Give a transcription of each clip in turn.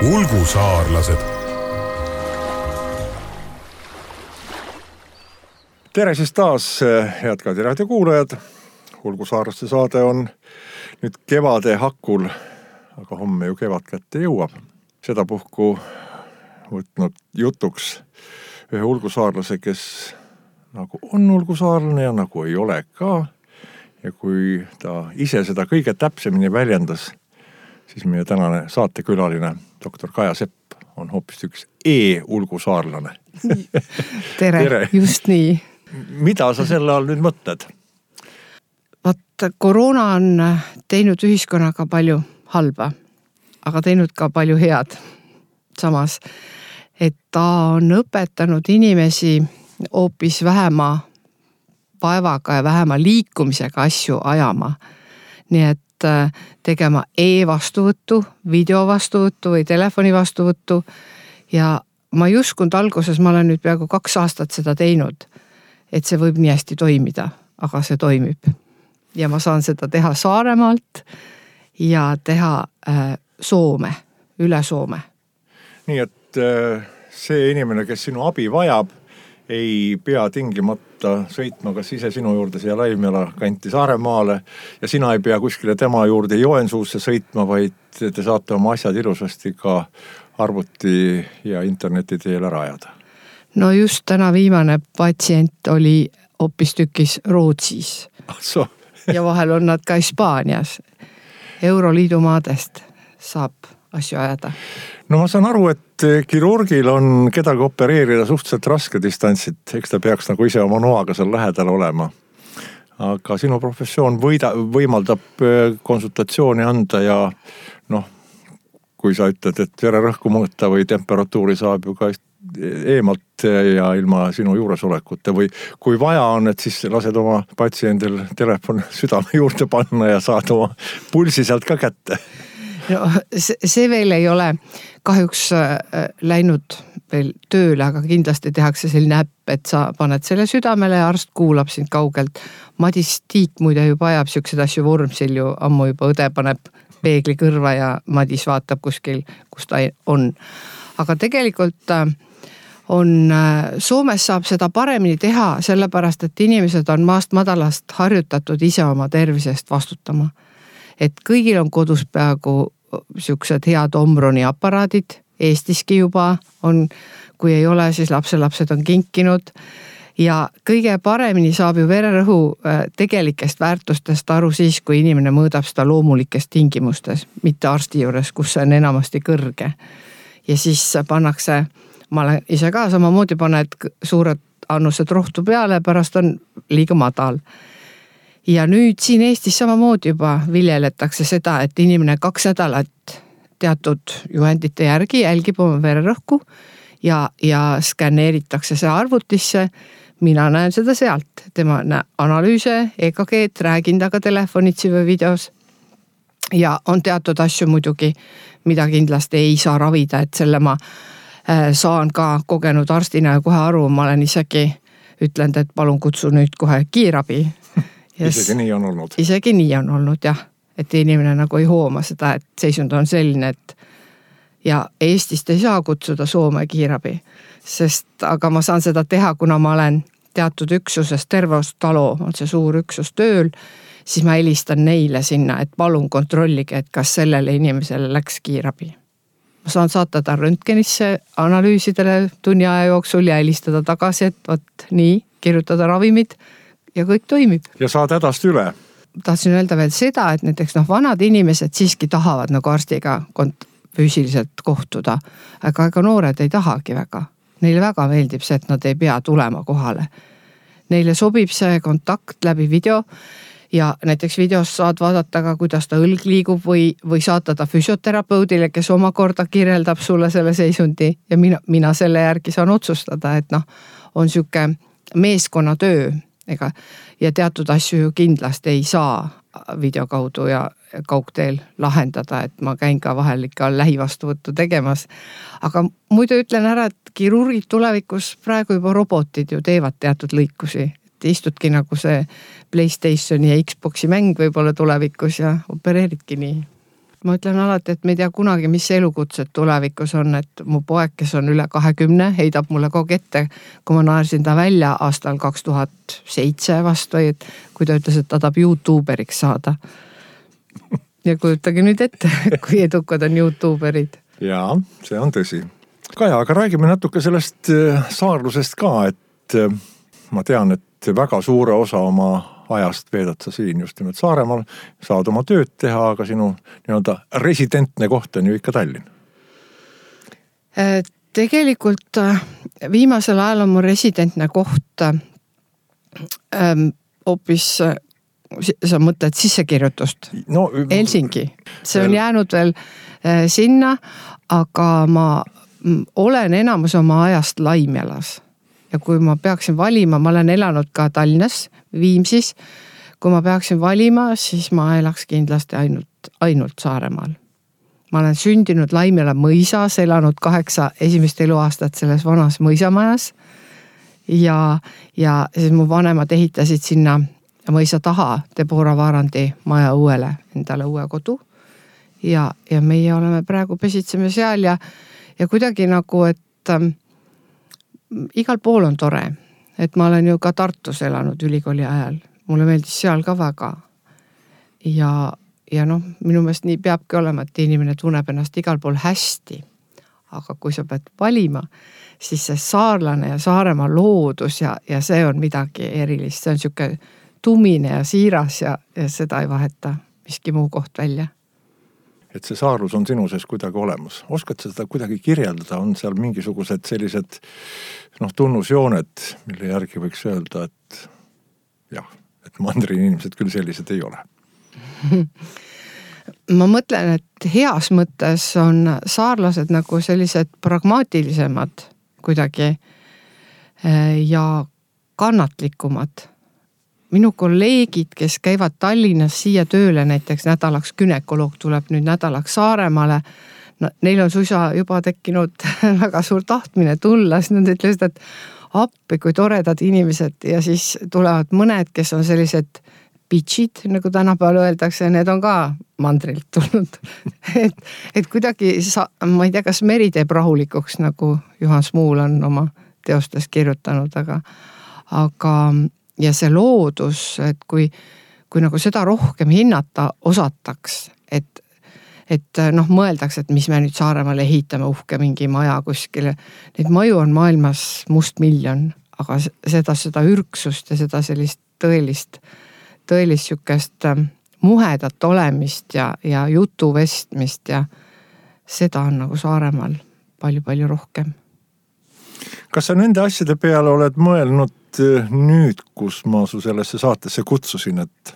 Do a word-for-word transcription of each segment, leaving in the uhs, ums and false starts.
Ulgusaarlased. Tere siis taas, head Kadi raadio kuulajad. Ulgusaarlaste saade on nüüd kevade hakul, aga homme ju kevad kätte jõuab. Sedapuhku võtnud jutuks ühe ulgusaarlase, kes nagu on ulgusaarlane ja nagu ei ole ka. Ja kui ta ise seda kõige täpsemini väljendas, siis meie tänane saatekülaline doktor Kaja Sepp on hoopis üks e-ulgusaarlane. Tere, Tere, just nii. Mida sa selle all nüüd mõtled? Vaat, koroona on teinud ühiskonnaga palju halba, aga teinud ka palju head. Samas, et ta on õpetanud inimesi hoopis vähema vaevaga ja vähema liikumisega asju ajama. Nii et tegema e-vastuvõttu, videovastuvõttu või telefoni vastuvõttu. Ja ma ei uskunud alguses, ma olen nüüd peaaegu kaks aastat seda teinud, et see võib nii hästi toimida, aga see toimib. Ja ma saan seda teha Saaremaalt ja teha äh, Soome, üle Soome. Nii et äh, see inimene, kes sinu abi vajab, ei pea tingimata sõitma kas ise sinu juurde siia Laimjala kanti Saaremaale ja sina ei pea kuskile tema juurde Joensuusse sõitma, vaid te saate oma asjad ilusasti ka arvuti ja interneti teel ära ajada. No just täna viimane patsient oli hoopis tükis Rootsis so. ja vahel on nad ka Hispaanias. Euroliidu maadest saab asju ajada. No ma saan aru, et kirurgil on kedagi opereerida suhteliselt raske distantsit, eks ta peaks nagu ise oma noaga seal lähedal olema. Aga sinu professioon võida, võimaldab konsultatsiooni anda ja noh, kui sa ütled, et vererõhku mõõta või temperatuuri saab ju ka eemalt ja ilma sinu juuresolekuta või kui vaja on, et siis lased oma patsiendil telefon südame juurde panna ja saad oma pulsi sealt ka kätte. No, see veel ei ole kahjuks läinud veel tööle, aga kindlasti tehakse selline äpp, et sa paned selle südamele ja arst kuulab sind kaugelt. Madis Tiik muide juba ajab siuksed asju Vormsil ju ammu juba õde paneb peegli kõrva ja Madis vaatab kuskil, kus ta on. Aga tegelikult on, Soomes saab seda paremini teha, sellepärast, et inimesed on maast madalast harjutatud ise oma tervisest vastutama. Et kõigil on kodus peaaegu siuksed head Omroni aparaadid, Eestiski juba on, kui ei ole, siis lapselapsed on kinkinud ja kõige paremini saab ju vererõhu tegelikest väärtustest aru siis, kui inimene mõõdab seda loomulikest tingimustes, mitte arsti juures, kus see on enamasti kõrge. Ja siis pannakse, ma olen ise ka samamoodi paned suured annused rohtu peale, pärast on liiga madal. Ja nüüd siin Eestis samamoodi juba viljeletakse seda, et inimene kaks nädalat teatud juhendite järgi jälgib oma vererõhku ja, ja skanneeritakse see arvutisse. Mina näen seda sealt. Tema analüüse, E K G-d, räägin taga telefonitsi või videos. Ja on teatud asju muidugi, mida kindlasti ei saa ravida, et selle ma saan ka kogenud arstina ja kohe aru, ma olen isegi ütlenud, et palun kutsu nüüd kohe kiirabi. Yes. Isegi nii on olnud. Isegi nii on olnud, jah. Et inimene nagu ei hooma seda, et seisund on selline, et ja Eestist ei saa kutsuda Soome kiirabi. Sest aga ma saan seda teha, kuna ma olen teatud üksusest Terveostalo, on see suur üksus tööl, siis ma helistan neile sinna, et palun kontrollige, et kas sellele inimesele läks kiirabi. Ma saan saata ta röntgenisse analüüsidele tunni aja jooksul ja helistada tagasi, et võt nii, kirjutada ravimid ja kõik toimib. Ja saad hädast üle. Tahtsin öelda veel seda, et näiteks noh, vanad inimesed siiski tahavad nagu arstiga kont- füüsiliselt kohtuda, aga ega noored ei tahagi väga. Neile väga meeldib see, et nad ei pea tulema kohale. Neile sobib see kontakt läbi video ja näiteks videos saad vaadata ka, kuidas ta õlg liigub või, või saata ta füsioterapeudile, kes omakorda kirjeldab sulle selle seisundi ja mina, mina selle järgi saan otsustada, et noh, on siuke meeskonna töö. Ega, ja teatud asju ju kindlasti ei saa video kaudu ja kaugteel lahendada, et ma käin ka vahel ikka lähivastuvõttu tegemas. Aga muidu ütlen ära, et kirurgid tulevikus praegu juba robotid ju teevad teatud lõikusi. Et istudki nagu see PlayStationi ja Xboxi mäng võib-olla tulevikus ja opereeridki nii. ma ütlen alati, et me ei tea kunagi, mis elukutsed tulevikus on, et mu poeg, kes on üle kahekümne, heidab mulle kogu ette, kui ma naersin ta välja aastal kaks tuhat seitse vastu, et kui ta ütles, et ta tahab YouTuberiks saada. Ja kujutage nüüd ette, kui edukad on YouTuberid. Jaa, see on tõsi. Kaja, aga räägime natuke sellest saarlusest ka, et ma tean, et väga suure osa oma ajast veedad sa siin just nimelt Saaremaal, saad oma tööd teha, aga sinu nii-öelda residentne koht on ju ikka Tallinn. Tegelikult viimasel ajal on mu residentne koht hoopis, sa mõtled sissekirjutust, no, Helsingi. See on jäänud veel sinna, aga ma olen enamus oma ajast Laimjalas. Ja kui ma peaksin valima, ma olen elanud ka Tallinnas, Viimsis, kui ma peaksin valima, siis ma elaks kindlasti ainult, ainult Saaremaal. Ma olen sündinud Laimjala mõisas, elanud kaheksa esimest eluaastat selles vanas mõisamajas ja, ja siis mu vanemad ehitasid sinna mõisa taha Debora Vaarandi maja uuele, endale uue kodu ja, ja meie oleme praegu pesitseme seal ja, ja kuidagi nagu, et igal pool on tore, et ma olen ju ka Tartus elanud ülikooli ajal. Mulle meeldis seal ka väga. Ja, ja noh, minu meelest nii peabki olema, et inimene tunneb ennast igal pool hästi. Aga kui sa pead valima, siis see saarlane ja Saaremaa loodus ja, ja see on midagi erilist. See on siuke tumine ja siiras ja, ja seda ei vaheta miski muu koht välja. Et see saarlus on sinu sees kuidagi olemas. Oskad seda kuidagi kirjeldada? On seal mingisugused sellised noh, tunnusjooned, mille järgi võiks öelda, et jah, et mandri inimesed küll sellised ei ole. Ma mõtlen, et heas mõttes on saarlased nagu sellised pragmaatilisemad kuidagi ja kannatlikumad. Minu kolleegid, kes käivad Tallinnas siia tööle, näiteks nädalaks gynekoloog tuleb nüüd nädalaks Saaremaale, no, neil on suisa juba tekkinud väga suur tahtmine tulla, siis nad ütlesid, et appi, kui toredad inimesed ja siis tulevad mõned, kes on sellised bitchid, nagu tänapäeval öeldakse, need on ka mandrilt tulnud. et, et kuidagi, sa, ma ei tea, kas meri teeb rahulikuks, nagu Juhan Smuul on oma teostes kirjutanud, aga, aga ja see loodus, et kui, kui nagu seda rohkem hinnata osataks, et, et noh, mõeldaks, et mis me nüüd Saaremaale ehitame uhke mingi maja kuskile. Neid maju on maailmas must miljon, aga seda, seda ürksust ja seda sellist tõelist, tõelist sükest muhedat olemist ja, ja jutu vestmist ja seda on nagu Saaremaal palju-palju rohkem. Kas sa nende asjade peale oled mõelnud nüüd, kus ma su sellesse saatesse kutsusin, et,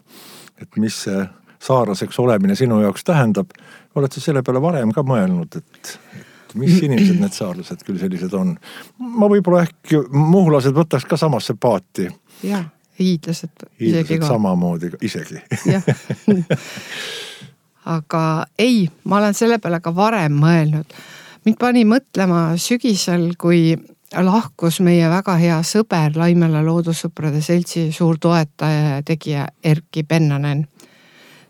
et mis see saarlaseks olemine sinu jaoks tähendab, oled sa selle peale varem ka mõelnud, et, et mis inimesed need saarlased küll sellised on? Ma võib-olla ehk muhlased võtaks ka samasse paati. Jah, hiidlased. Hiidlased samamoodi isegi. Aga ei, ma olen selle peale ka varem mõelnud. Mind pani mõtlema sügisel, kui lahkus meie väga hea sõber Laimjala loodussõprade seltsi suur toetaja ja tegija Erkki Pennanen.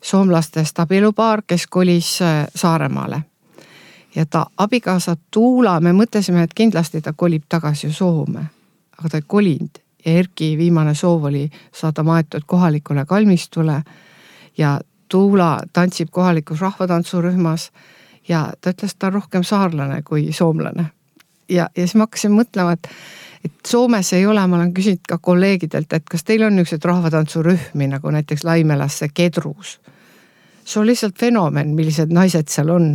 Soomlastest abielupaar, kes kolis Saaremaale. Ja ta abikaasa Tuula, me mõtlesime, et kindlasti ta kolib tagasi Soome. Aga ta ei kolinud. Ja Erkki viimane soov oli saada maetud kohalikule kalmistule ja Tuula tantsib kohalikus rahvatantsurühmas ja ta ütles, ta on rohkem saarlane kui soomlane. Ja, ja siis ma hakkasin mõtlema, et, et Soomes ei ole, ma olen küsinud ka kolleegidelt, et kas teil on niisugused rahvatantsurühmi, nagu näiteks Laimjalasse Kedrus. See on lihtsalt fenomen, millised naised seal on.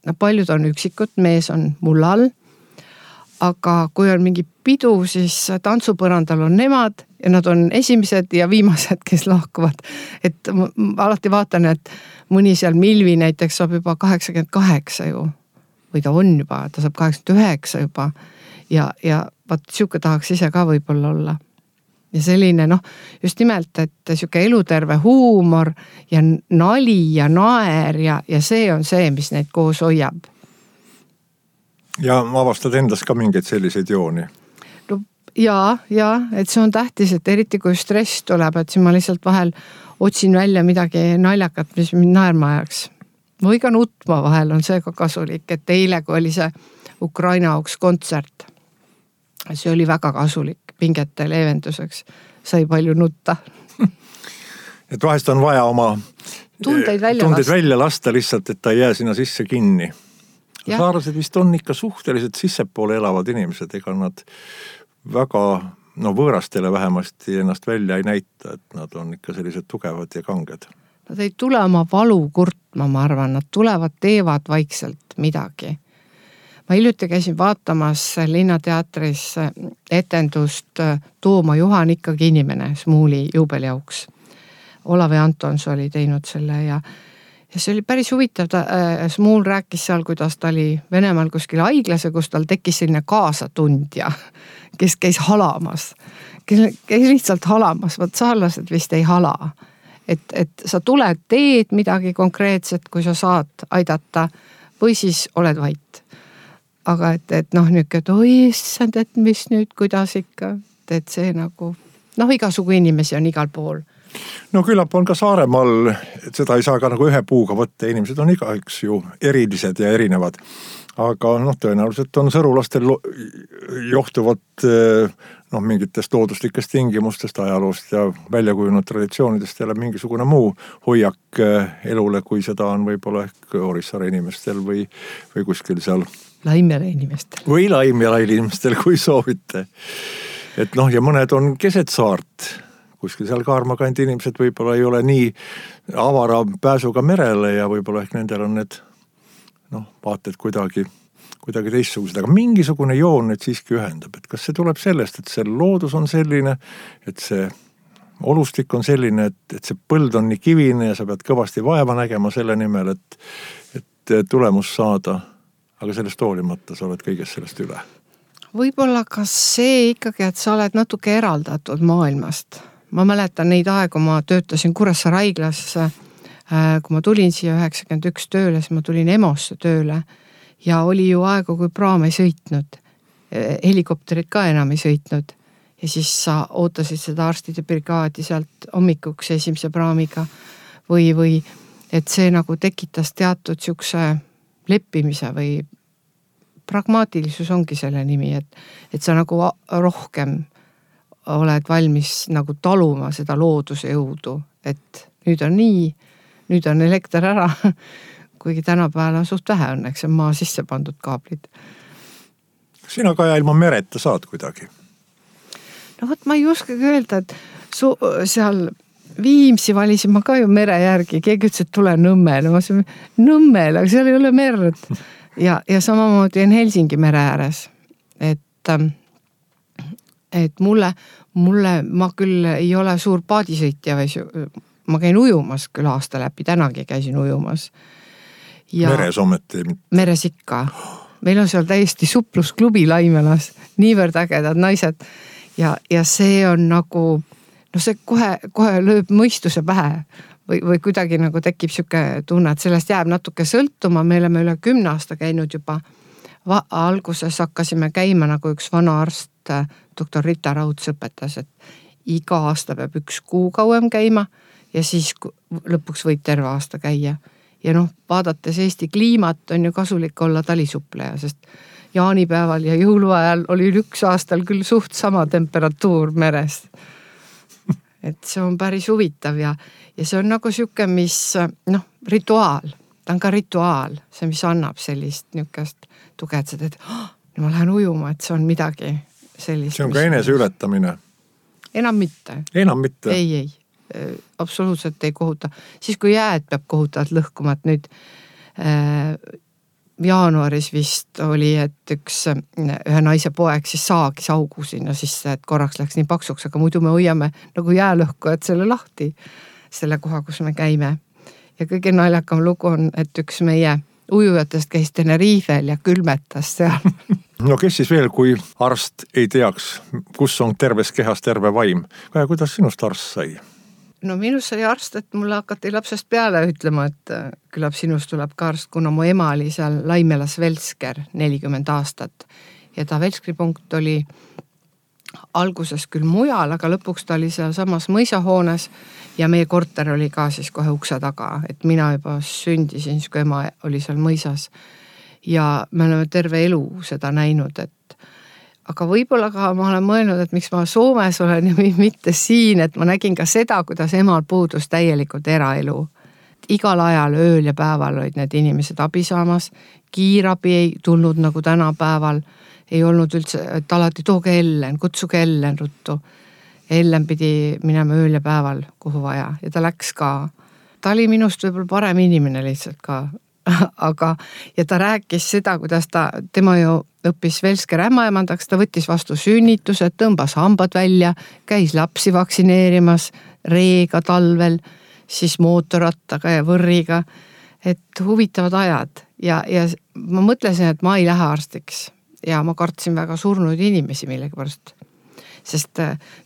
No, paljud on üksikud, mees on mullal, aga kui on mingi pidu, siis tantsupõrandal on nemad ja nad on esimesed ja viimased, kes lahkuvad. Et ma alati vaatan, et mõni seal Milvi näiteks saab juba kaheksakümmend kaheksa ju. Või ta on juba, ta saab kaheksakümmend üheksa juba ja, ja vaat siuke tahaks ise ka võib-olla olla. Ja selline noh, just nimelt, et siuke eluterve huumor ja nali ja naer ja, ja see on see, mis neid koos hoiab. Ja avastad endas ka mingeid selliseid jooni? No, jaa, jaa, et see on tähtis, et eriti kui stress tuleb, et siin ma lihtsalt vahel otsin välja midagi naljakat, mis mind naerma ajaks. või ka nutma vahel on see ka kasulik, et eile, kui oli see Ukraina auks kontsert, see oli väga kasulik pingete leevenduseks, sai palju nutta. Et vahest on vaja oma tundeid välja, tundeid lasta. välja lasta lihtsalt, et ta ei jää sinna sisse kinni. Saarlased vist on ikka suhteliselt sissepoole elavad inimesed, ega nad väga, no võõrastele vähemasti ennast välja ei näita, et nad on ikka sellised tugevad ja kanged. Nad ei tule oma valu kurtma, ma arvan, nad tulevad, teevad vaikselt midagi. Ma hiljuti käisin vaatamas Linnateatris etendust Tooma Juhan ikkagi inimene Smuuli juubeliauks. Olav Antons oli teinud selle ja Ja see oli päris huvitav, ta, äh, Smuul rääkis seal, kuidas ta oli Venemaal kuskil haiglase, kus tal tekkis selline kaasatundja, kes käis halamas, kes käis lihtsalt halamas, vaat saarlased vist ei hala. Et, et sa tuled, teed midagi konkreetset, kui sa saad aidata või siis oled vait. Aga et, et noh, nüüd, et oi, issand, et mis nüüd, kuidas ikka, et see nagu, noh, igasugu inimesi on igal pool. No küllap on ka Saaremaal, et seda ei saa ka nagu ühe puuga võtta, inimesed on igaüks ju erilised ja erinevad. Aga noh, tõenäoliselt on sõrulastel johtuvat noh, mingitest looduslikest tingimustest, ajaloost ja väljakujunud traditsioonidest jälle mingisugune muu hoiak elule, kui seda on võib-olla ehk Orissaare inimestel või, või kuskil seal Laimjala inimestel. Või Laimjala inimestel, kui soovite. Et noh, ja mõned on keset saart. Kuskil seal Kaarmakandi inimesed võib-olla ei ole nii avara pääsuga merele ja võib-olla ehk nendel on need noh, vaated kuidagi, kuidagi teistsugused, aga mingisugune joon nüüd siiski ühendab, et kas see tuleb sellest, et see loodus on selline, et see olustik on selline, et, et see põld on nii kivine ja sa pead kõvasti vaeva nägema selle nimel, et, et tulemus saada, aga sellest hoolimata sa oled kõigest sellest üle. Võib-olla kas see ikkagi, et sa oled natuke eraldatud maailmast. Ma mäletan neid aegu, ma töötasin Kuressaare haiglas, kui ma tulin siia üheksakümmend üks tööle, siis ma tulin Emosse tööle ja oli ju aegu, kui praam ei sõitnud, helikopterid ka enam ei sõitnud ja siis sa ootasid seda arstide brigaadi sealt hommikuks esimese praamiga või, või et see nagu tekitas teatud siukse leppimise või pragmaatilisus ongi selle nimi, et, et sa nagu rohkem oled valmis nagu taluma seda looduse jõudu, et nüüd on nii, nüüd on elekter ära, kuigi tänapäeval on suht vähe õnneks, on maa sisse pandud kaablid. Sina ka ja ilma mereta saad kuidagi? No võt, ma ei oskagi öelda, et su, seal Viimsi valisin ma ka ju mere järgi, keegi ütles, et tule Nõmmele, ma ütlesin, Nõmmele, aga seal ei ole merd. Ja, ja samamoodi on Helsingi mere ääres, et et mulle, mulle, ma küll ei ole suur paadisõitja või ma käin ujumas küll aasta läbi, tänagi käisin ujumas. Ja meres ometi? Meres ikka. Meil on seal täiesti suplusklubi Laimjalas, niivõrd ägedad naised ja, ja see on nagu, no see kohe, kohe lööb mõistuse pähe või, või kuidagi nagu tekib siuke tunne, et sellest jääb natuke sõltuma, me oleme üle kümne aasta käinud juba. Va- alguses hakkasime käima nagu üks vana arst, doktor Rita Rauds õpetas, et iga aasta peab üks kuu kauem käima ja siis lõpuks võib terve aasta käia. Ja noh, vaadates Eesti kliimat on ju kasulik olla talisuppleja, sest jaanipäeval ja jõuluajal oli üks aastal küll suht sama temperatuur meres. Et see on päris huvitav ja, ja see on nagu siuke, mis noh, rituaal, ta on ka rituaal, see, mis annab sellist niukest tugetsed, et oh, ma lähen ujuma, et see on midagi sellist. See on ka enese ületamine. Enam mitte. Enam mitte? Ei, ei, absoluutselt ei kohuta. Siis kui jääd peab kohutavalt lõhkuma, et nüüd äh, jaanuaris vist oli, et üks ühe naise poeg siis saagis augu sinna sisse, et korraks läks nii paksuks, aga muidu me hoiame nagu jäälõhku, et selle lahti, selle koha, kus me käime. Ja kõige naljakam lugu on, et üks meie ujujatest käis Tenerifel ja külmetas seal. No kes siis veel, kui arst ei teaks, kus on terves kehas terve vaim? Kaja, kuidas sinust arst sai? No minust sai arst, et mulle hakati lapsest peale ütlema, et küllap sinust tuleb ka arst, kuna mu ema oli seal Laimjalas Velsker nelikümmend aastat. Ja ta Velskri punkt oli alguses küll mujal, aga lõpuks ta oli seal samas mõisahoones ja meie korter oli ka siis kohe ukse taga, et mina juba sündisin, siis kui ema oli seal mõisas. Ja me oleme terve elu seda näinud, et aga võib-olla ka ma olen mõelnud, et miks ma Soomes olen ja mitte siin, et ma nägin ka seda, kuidas emal puudus täielikult eraelu. Igal ajal, ööl ja päeval olid need inimesed abi saamas, kiirabi ei tulnud nagu tänapäeval, ei olnud üldse, et alati tooge Ellen, kutsuge Ellen ruttu. Ellen pidi minema ööl ja päeval kuhu vaja ja ta läks ka. Ta oli minust võib-olla parem inimene lihtsalt ka, aga ja ta rääkis seda, kuidas ta, tema ju õppis Velsker ämmaemandaks, ta võttis vastu sünnitused, tõmbas hambad välja, käis lapsi vaktsineerimas, reega talvel, siis mootorrattaga ja võrriga, et huvitavad ajad ja, ja ma mõtlesin, et ma ei lähe arstiks. Ja ma kartsin väga surnud inimesi millegi pärast, sest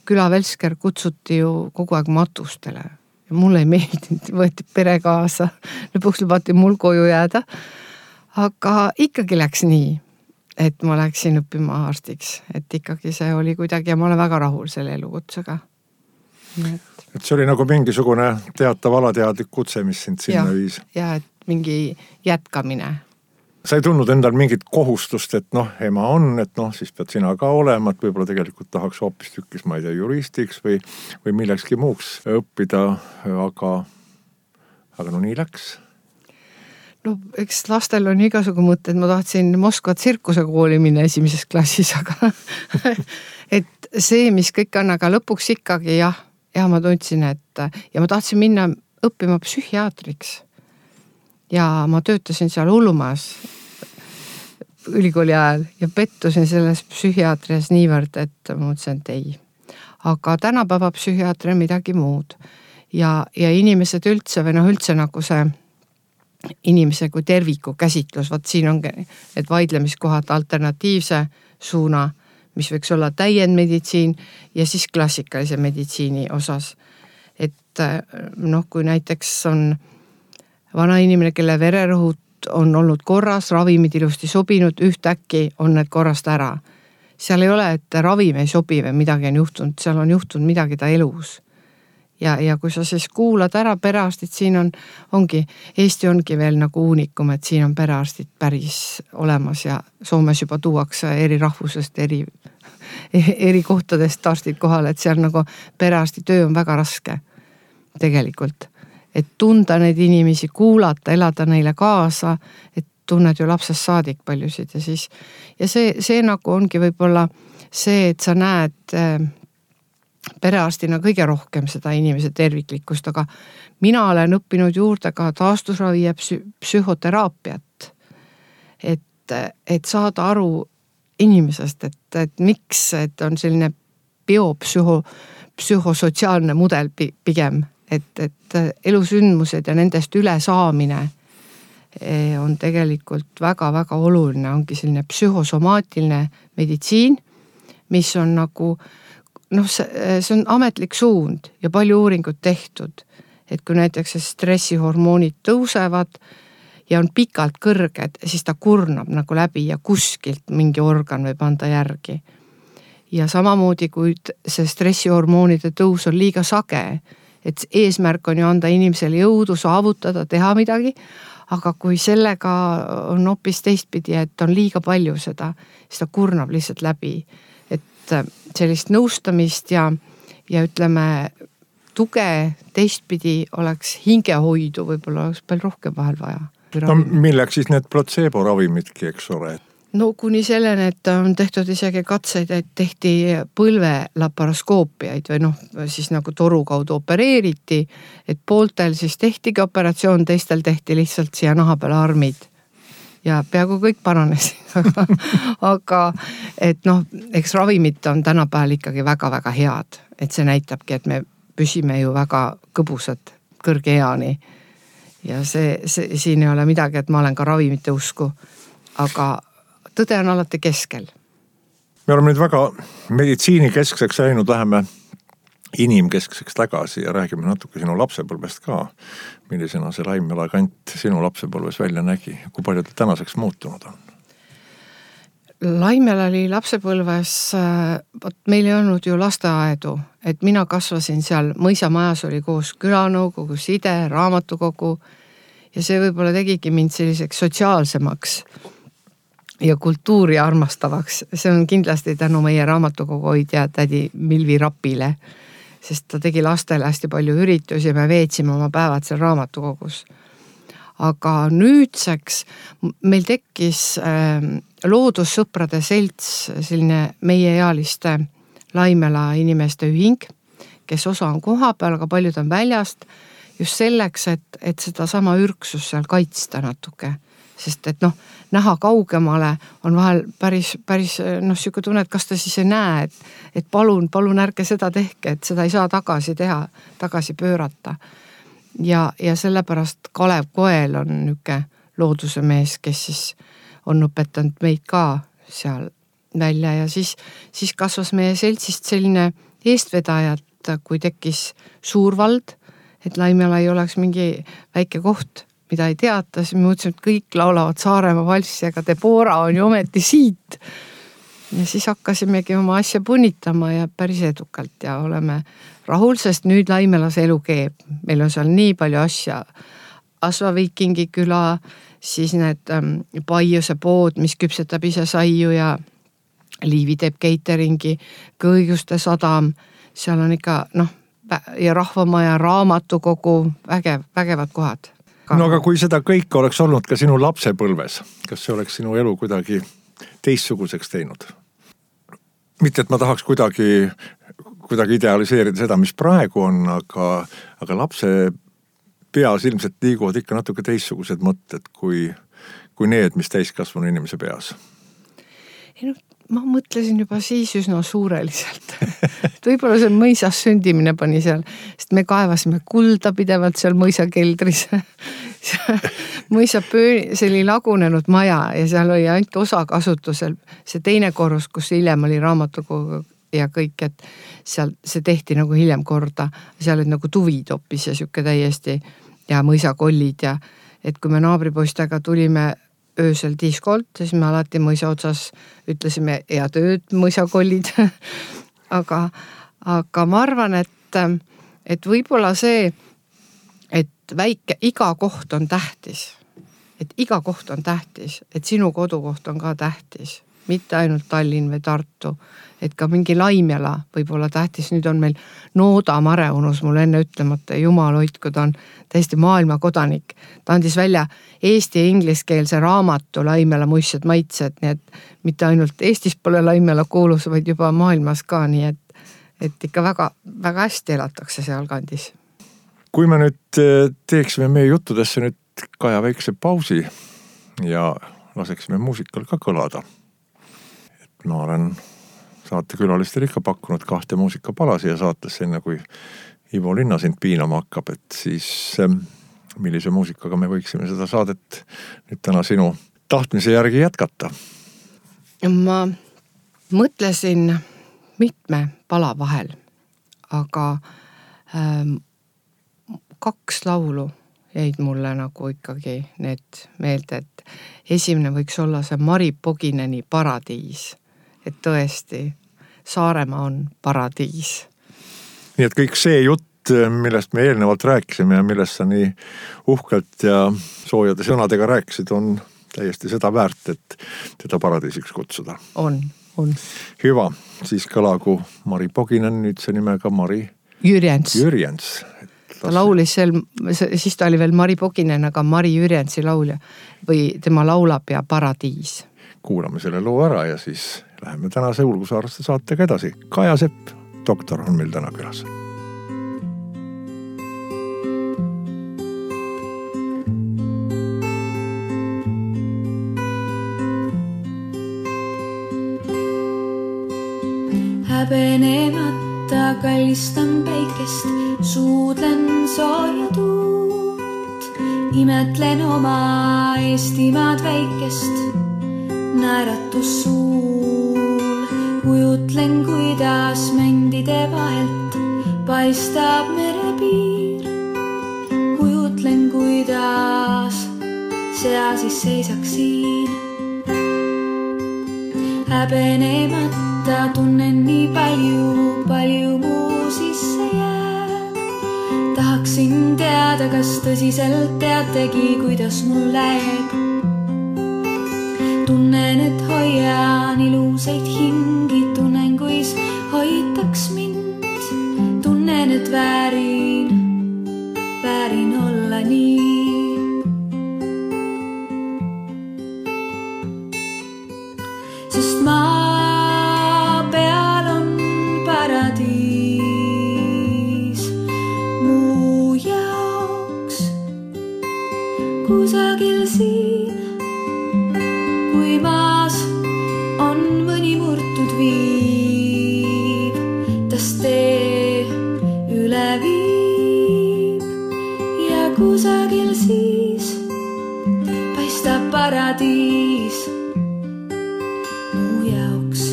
küla Velsker kutsuti ju kogu aeg matustele ja mulle ei meeldinud, võeti pere kaasa, lõpuks lubati mul koju jääda, aga ikkagi läks nii, et ma läksin õppima arstiks, et ikkagi see oli kuidagi ja ma olen väga rahul selle elukutsega. Et... et see oli nagu mingisugune teatav alateadlik kutse, mis sind sinna ja, viis. Ja, et mingi jätkamine. Sa ei tundnud endal mingit kohustust, et noh, ema on, et noh, siis pead sina ka olema, et võib-olla tegelikult tahaks hoopis tükkis, ma ei tea, juristiks või, või millekski muuks õppida, aga, aga no nii läks. No eks lastel on igasugu mõtted, ma tahtsin Moskva tsirkusekooli minna esimeses klassis, aga et see, mis kõik on, aga lõpuks ikkagi jah, ja ma tundsin, et ja ma tahtsin minna õppima psühhiaatriks. Ja ma töötasin seal Hullumaas ülikooli ajal ja pettusin selles psühhiaatrias niivõrd, et ma mõtlesin, et ei. Aga tänapäeva psühhiaatri on midagi muud. Ja, ja inimesed üldse või noh üldse nagu see inimese kui terviku käsitlus, vaat siin ongi need vaidlemiskohad alternatiivse suuna, mis võiks olla täiendmeditsiin ja siis klassikalise meditsiini osas. Et noh, kui näiteks on vana inimene, kelle vererõhud on olnud korras, ravimid ilusti sobinud, ühtäkki on need korrast ära. Seal ei ole, et ravim ei sobi või midagi on juhtunud, seal on juhtunud midagi ta elus. Ja, ja kui sa siis kuulad ära perearstid, siin on, ongi, Eesti ongi veel nagu uunikum, et siin on perearstid päris olemas ja Soomes juba tuuakse eri rahvusest, eri, eri kohtadest arstid kohal, et seal nagu perearsti töö on väga raske tegelikult. Et tunda neid inimesi, kuulata, elada neile kaasa, et tunned ju lapsest saadik paljusid ja siis, ja see, see nagu ongi võib-olla see, et sa näed perearstina kõige rohkem seda inimese terviklikkust, aga mina olen õppinud juurde ka taastusravi ja psü- psühhoteraapiat, et, et saada aru inimesest, et, et miks, et on selline biopsüho, psühhosotsiaalne mudel pigem, et, et elusündmused ja nendest üle saamine on tegelikult väga-väga oluline, ongi selline psühhosomaatiline meditsiin, mis on nagu, noh, see, see on ametlik suund ja palju uuringut tehtud, et kui näiteks stressihormoonid tõusevad ja on pikalt kõrged, siis ta kurnab nagu läbi ja kuskilt mingi organ võib anda järgi. Ja samamoodi, kui see stressihormoonide tõus on liiga sage, et eesmärk on ju anda inimesele jõudu saavutada, teha midagi, aga kui sellega on hoopis teistpidi, et on liiga palju seda, siis ta kurnab lihtsalt läbi. Et sellist nõustamist ja, ja ütleme, tuge teistpidi oleks hingehoidu, võib-olla oleks palju rohkem vahel vaja. No milleks siis need placebo ravimidki, eks ole? No kuni selleni, et on tehtud isegi katseid, et tehti põlvelaparoskoopiaid või noh, siis nagu toru kaudu opereeriti, et pooltel siis tehtigi operatsioon, teistel tehti lihtsalt siia naha peale armid ja peaaegu kõik paranes. Aga et noh, eks ravimid on tänapäeval ikkagi väga-väga head, et see näitabki, et me püsime ju väga kõbusad kõrge eani ja see, see, siin ei ole midagi, et ma olen ka ravimite usku, aga tõde on alati keskel. Me oleme nüüd väga meditsiinikeskseks läinud, läheme inimkeskseks tagasi ja räägime natuke sinu lapsepõlvest ka. Millisena see Laimjala kant sinu lapsepõlves välja nägi? Kui palju ta tänaseks muutunud on? Laimela oli lapsepõlves, võt meil ei olnud ju lasteaedu, et mina kasvasin seal, mõisamajas oli koos külanõukogu, side, raamatukogu ja see võib-olla tegigi mind selliseks sotsiaalsemaks ja kultuuri armastavaks. See on kindlasti tänu meie raamatukogu hoidja tädi Milvi Rapile, sest ta tegi lastele hästi palju üritusi ja me veetsime oma päevad seal raamatukogus. Aga nüüdseks meil tekkis äh, loodussõprade selts, selline meieealiste Laimela inimeste ühing, kes osa on koha peal, aga paljud on väljast, just selleks, et, et seda sama ürksus seal kaitsta natuke. Sest et noh, näha kaugemale on vahel päris, päris noh, siuke tunne, et kas ta siis ei näe, et, et palun, palun ärge seda tehke, et seda ei saa tagasi teha, tagasi pöörata. Ja, ja sellepärast Kalev Koel on niuke looduse mees, kes siis on õpetanud meid ka seal välja ja siis, siis kasvas meie seltsist selline eestvedajat, kui tekkis Suurvald, et Laimela ei oleks mingi väike koht, mida ei teata, siis me mõtlesime, et kõik laulavad Saaremaa valssi, aga Debora on ju ometi siit. Ja siis hakkasimegi oma asja punnitama ja päris edukalt ja oleme rahul, sest nüüd Laimelas elu keeb. Meil on seal nii palju asja. Asva Viikingi küla, siis need ähm, Paiuse pood, mis küpsetab ise saiu ja Liivi teeb cateringi, Kõiguste sadam, seal on ikka noh, ja Rahvamaja raamatukogu, vägev, vägevad kohad. Ka. No aga kui seda kõike oleks olnud ka sinu lapsepõlves, kas see oleks sinu elu kuidagi teistsuguseks teinud? Mitte, et ma tahaks kuidagi, kuidagi idealiseerida seda, mis praegu on, aga, aga lapse peas ilmselt liiguvad ikka natuke teistsugused mõtted kui, kui need, mis täiskasvanu inimese peas. Ei no, ma mõtlesin juba siis üsna suureliselt. Võib-olla see mõisas sündimine pani seal, sest me kaevasime kulda pidevalt seal mõisakeldris. Mõisa pööni, see oli lagunenud maja ja seal oli ainult osa kasutusel. See teine korrus, kus hiljem oli raamatukogu ja kõik, et seal see tehti nagu hiljem korda. Seal olid nagu tuvid hoppis ja siuke täiesti ja mõisakollid ja et kui me naabripoistega tulime öösel diskolt, siis me alati mõisa otsas ütlesime ja tööd mõisakollid. aga, aga ma arvan, et, et võib-olla see, et väike, iga koht on tähtis. Et iga koht on tähtis, et sinu kodukoht on ka tähtis. Mitte ainult Tallinn või Tartu, et ka mingi Laimela võib olla tähtis. Nüüd on meil Nooda Mare unus mul enne ütlemata, jumal hoidku, ta on täiesti maailma kodanik. Ta andis välja eesti ja ingliskeelse raamatu Laimela muistsed maitsed, nii et mitte ainult Eestis pole Laimela kuulus, vaid juba maailmas ka, nii et, et ikka väga, väga hästi elatakse seal kandis. Kui me nüüd teeksime meie juttudesse nüüd Kaja väikse pausi ja laseksime muusikal ka kõlada. Ma olen saatekülalistel ikka pakkunud kahte muusikapalasi ja saates enne, kui Ivo Linna sind piinama hakkab, et siis millise muusikaga me võiksime seda saadet nüüd täna sinu tahtmise järgi jätkata? Ma mõtlesin mitme pala vahel, aga ähm, kaks laulu jäid mulle nagu ikkagi need meelde, et esimene võiks olla see Mari Pogineni Paradiis. Et tõesti, Saaremaa on paradiis. Nii et kõik see jutt, millest me eelnevalt rääkisime ja millest sa nii uhkelt ja soojade sõnadega rääkisid, on täiesti seda väärt, et teda paradiisiks kutsuda. On, on. Hyvä, siis kõlagu Mari Poginen, nüüd see nimega Mari Jürjens. Jürjens. Ta laulis seal, siis ta oli veel Mari Poginen, aga Mari Jürjensi laulja või tema laulab ja Paradiis. Kuulame selle loo ära ja siis läheme tänase Ulgusaareste saatega edasi. Kaja Sepp, doktor, on meil täna külas. Häbenemata kallistan päikest, suudlen sooja tuult, imetlen oma Eestimaad väikest. Naeratus suul, kujutlen, kuidas mändide vahelt paistab merepiir. Kujutlen, kuidas sea siis seisaks siin. häbenemata tunnen nii palju, palju muu sisse jääb. Tahaksin teada, kas tõsiselt teategi, kuidas mul läheb. Tunnen, et hoian ilusaid hingi, tunnen, kuis hoitaks mind. Tunnen, et väärin, väärin olla nii. Sest maa peal on paradiis muu jaoks kusagil siin. Kui maas on mõni murtud viib, tas tee üle viib ja kusagil siis paistab paradiis muu jaoks.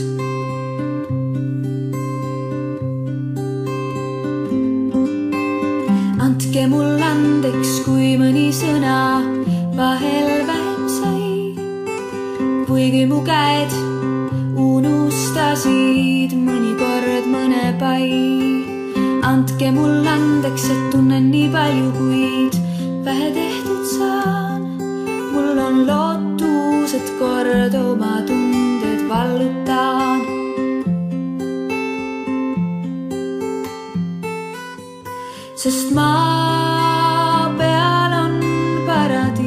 Andke mul andeks, kui mõni sõna vahel vähem sai. Kuigi mu käed unustasid mõnikord mõne pai. Andke mul andeks, et tunnen nii palju, kuid vähe tehtud saan. Mul on lootus, et kord oma tunded vallutaan. Sest maa peal on paradiis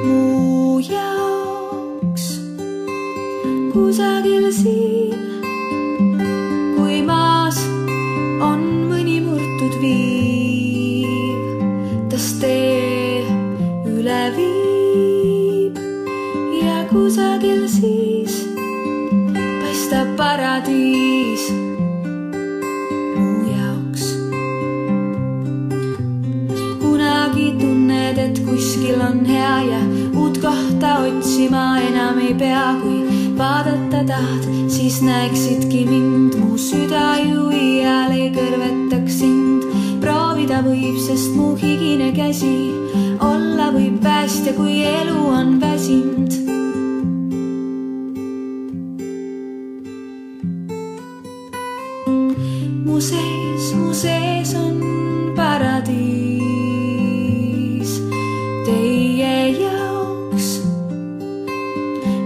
muu jaoks kusagil siin. Kui maas on mõni murtud viib, tas tee üle viib ja kusagil siis paistab paradiis muu jaoks. Kunagi tunned, et kuskil on hea ja uut kohta otsima enam ei pea. Kui vaadata tahad, siis näeksidki mind. Mu süda ju iial ei kõrvetaks sind. Proovida võib, sest mu higine käsi olla võib päästja, kui elu on väsind. Mu sees, mu sees on paradiis teie jaoks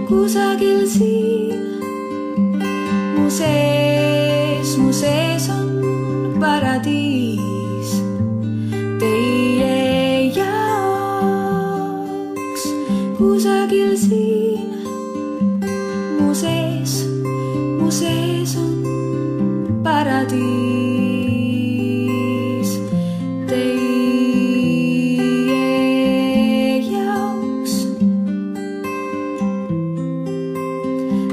kusagil siin. Mu sees, mu sees on paradiis teie jaoks kusagil siin. Mu sees, mu sees on paradiis teie jaoks.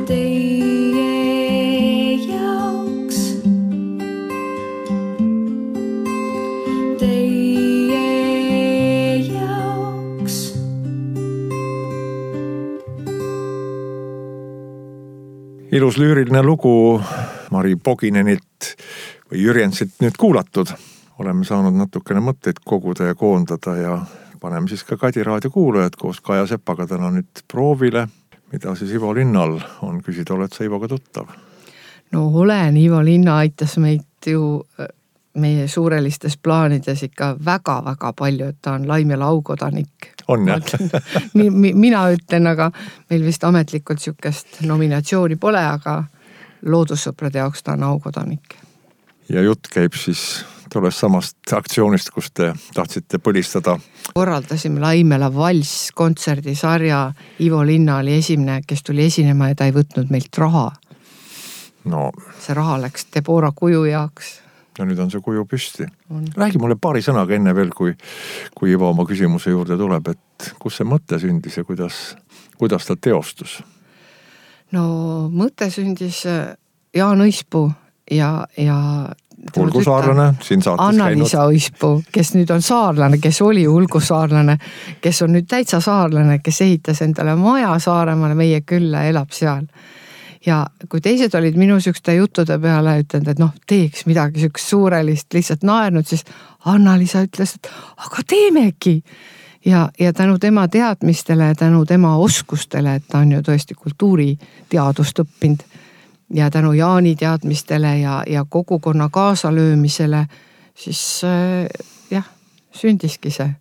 Teie jaoks. Teie jaoks. Ilus lüüriline lugu Mari Poginenilt või Jürjensilt nüüd kuulatud. Oleme saanud natukene mõtteid koguda ja koondada ja paneme siis ka Kadi raadio kuulajad koos Kaja Sepaga täna nüüd proovile, mida siis Ivo Linnal on küsida. Oled sa Ivoga tuttav? No olen, Ivo Linna aitas meid ju meie suurelistes plaanides ikka väga-väga palju, et ta on Laimjala aukodanik. On jah? Mina ütlen, aga meil vist ametlikult sükest nominatsiooni pole, aga loodussõprade jaoks ta on aukodanik. Ja jutt käib siis tollest samast aktsioonist, kus te tahtsite põlistada. Korraldasime Laimjala valss kontserdisarja. Ivo Linna oli esimene, kes tuli esinema ja ta ei võtnud meilt raha. No. See raha läks Debora kuju jaoks. Ja nüüd on see kuju püsti. On. Räägi mulle paari sõnaga enne veel, kui, kui Ivo oma küsimuse juurde tuleb, et kus see mõte sündis ja kuidas, kuidas ta teostus? No mõte sündis Jaan Õispuu ja, ja Ulgu saarlane, siin saates Anna-Liisa Õispuu, kes nüüd on saarlane, kes oli Ulgu saarlane, kes on nüüd täitsa saarlane, kes ehitas endale maja Saaremaale, meie külla, elab seal. Ja kui teised olid minu sükste juttude peale ütlenud, et noh, teeks midagi sükst suurelist, lihtsalt naernud, siis Anna-Liisa ütles, et aga teemegi. Ja, ja tänu tema teadmistele ja tänu tema oskustele, et ta on ju tõesti kultuuriteadust õppinud ja tänu Jaani teadmistele ja, ja kogukonna kaasalöömisele, siis äh, jah, sündiski see.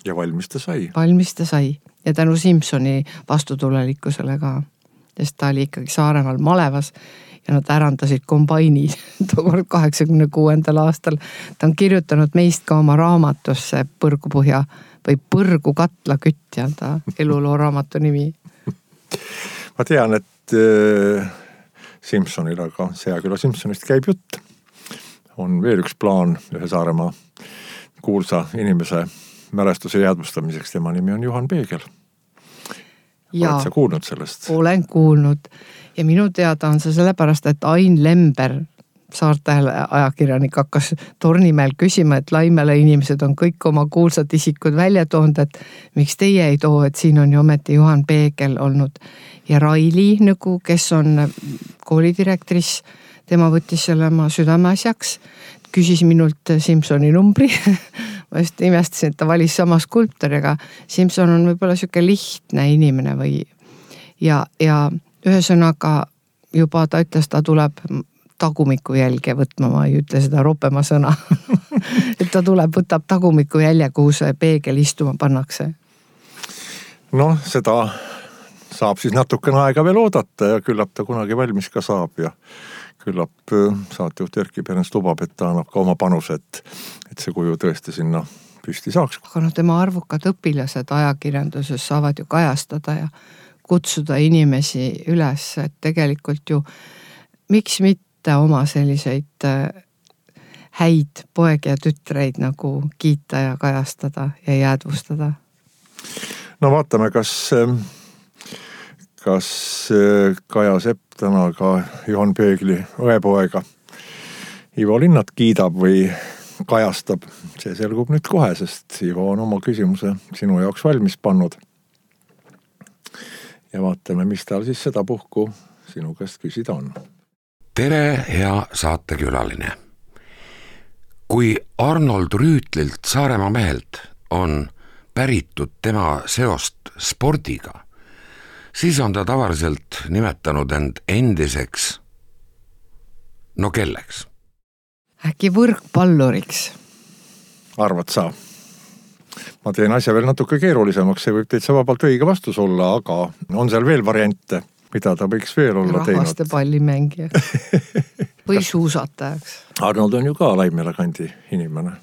Ja valmis ta sai. Valmis ta sai. Ja tänu Simsoni vastutulelikkusele ka, sest ta oli ikkagi Saaremaal Malevas ja nad ärandasid kombaini tookord kaheksakümne kuuendal aastal. Ta on kirjutanud meist ka oma raamatusse Põrgupõhja või Põrgu katla kütt ja ta eluloo raamatu nimi. Ma tean, et äh, Simsonil, aga Seaküla Simsonist käib jutt. On veel üks plaan ühe Saaremaa kuulsa inimese mälestuse jäädvustamiseks. Tema nimi on Juhan Peegel. Ja, oled sa kuulnud sellest? Olen kuulnud ja minu teada on see sellepärast, et Ain Lember, Saartähele ajakirjanik, hakkas Tornimäel küsima, et Laimele inimesed on kõik oma kuulsad isikud välja toonud, et miks teie ei too, et siin on ju ometi Juhan Peegel olnud ja Raili, nagu, kes on koolidirektris, tema võttis selle oma südameasjaks, küsis minult Simsoni numbri. Ma just imestasin, et ta valis sama skulptoriga. Simson on võib-olla siuke lihtne inimene või ja, ja ühesõnaga juba ta ütles, ta tuleb tagumiku jälge võtma, ma ei ütle seda ropema sõna. Et ta tuleb, võtab tagumiku jälje, kuhu see peegel istuma pannakse. Noh, seda saab siis natukene aega veel oodata ja küllap ta kunagi valmis ka saab ja küllap saatejuht Erki Perens lubab, et ta annab ka oma panuse, et, et see kuju tõesti sinna püsti saaks. Aga no tema arvukad õpilased ajakirjanduses saavad ju kajastada ja kutsuda inimesi üles, et tegelikult ju miks mitte oma selliseid häid poegi ja tütreid nagu kiita ja kajastada ja jäädvustada. No vaatame, kas kas Kaja Sepp täna ka Juhan Peegli õepoega Ivo Linnat kiidab või kajastab. See selgub nüüd kohe, sest Ivo on oma küsimuse sinu jaoks valmis pannud. Ja vaatame, mis tal siis seda puhku sinu käest küsida on. Tere, hea saatekülaline. Kui Arnold Rüütlilt Saaremaa mehelt on päritud tema seost spordiga, siis on ta tavaliselt nimetanud end endiseks, no kelleks? Äkki võrkpalluriks. Arvad sa? Ma teen asja veel natuke keerulisemaks, see võib täitsa vabalt õige vastus olla, aga on seal veel variante, mida ta võiks veel olla teinud? Rahvaste pallimängijaks või suusatajaks. Arnold on ju ka Laimjala kandi inimene.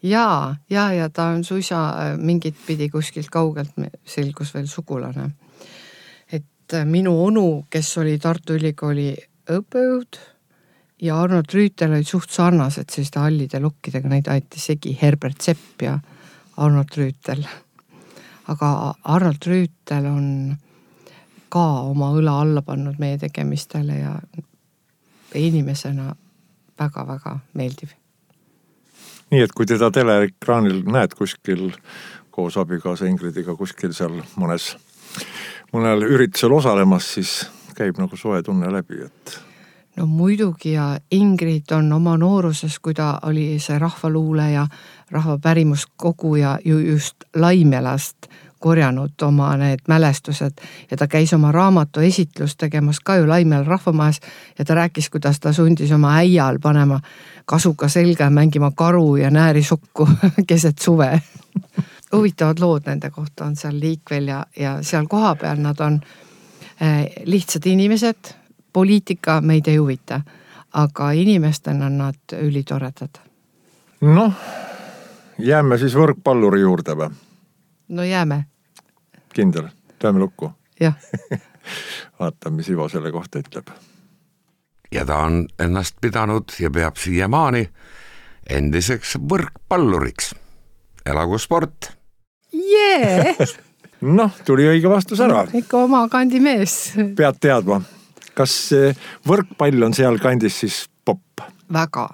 Jaa, ja, ja ta on suisa mingit pidi kuskilt kaugelt selgus veel sugulane. Minu onu, kes oli Tartu Ülikooli õppejõud ja Arnold Rüütel olid suht sarnased selliste hallide lokkidega, neid aeti segi Herbert Sepp ja Arnold Rüütel. Aga Arnold Rüütel on ka oma õla alla pannud meie tegemistele ja inimesena väga-väga meeldiv. Nii, et kui teda teleekraanil näed kuskil koos abikaasa Ingridiga kuskil seal mõnes mõnel üritusel osalemas, siis käib nagu soe tunne läbi, et... No muidugi ja Ingrid on oma nooruses, kui ta oli see rahvaluule ja rahvapärimuskogu ja ju just Laimjalast korjanud oma need mälestused ja ta käis oma raamatu esitlust tegemas ka ju Laimjala rahvamajas ja ta rääkis, kuidas ta sundis oma äial panema kasuka selga ja mängima karu ja nääri sokku keset suve. Huvitavad lood nende kohta on seal Liikvel ja, ja seal koha peal nad on eh, lihtsad inimesed, poliitika meid ei huvita, aga inimestena on nad ülitoredad. Noh, jääme siis võrkpalluri juurde või? No jääme. Kindel, teeme lukku. Jah. Vaata, mis Ivo selle kohta ütleb. Ja ta on ennast pidanud ja peab siiamaani endiseks võrkpalluriks. Elagu sport. Jee! Noh, tuli õige vastus ära. Ikka oma kandi mees. Pead teadma. Kas võrkpall on seal kandis siis popp? Väga.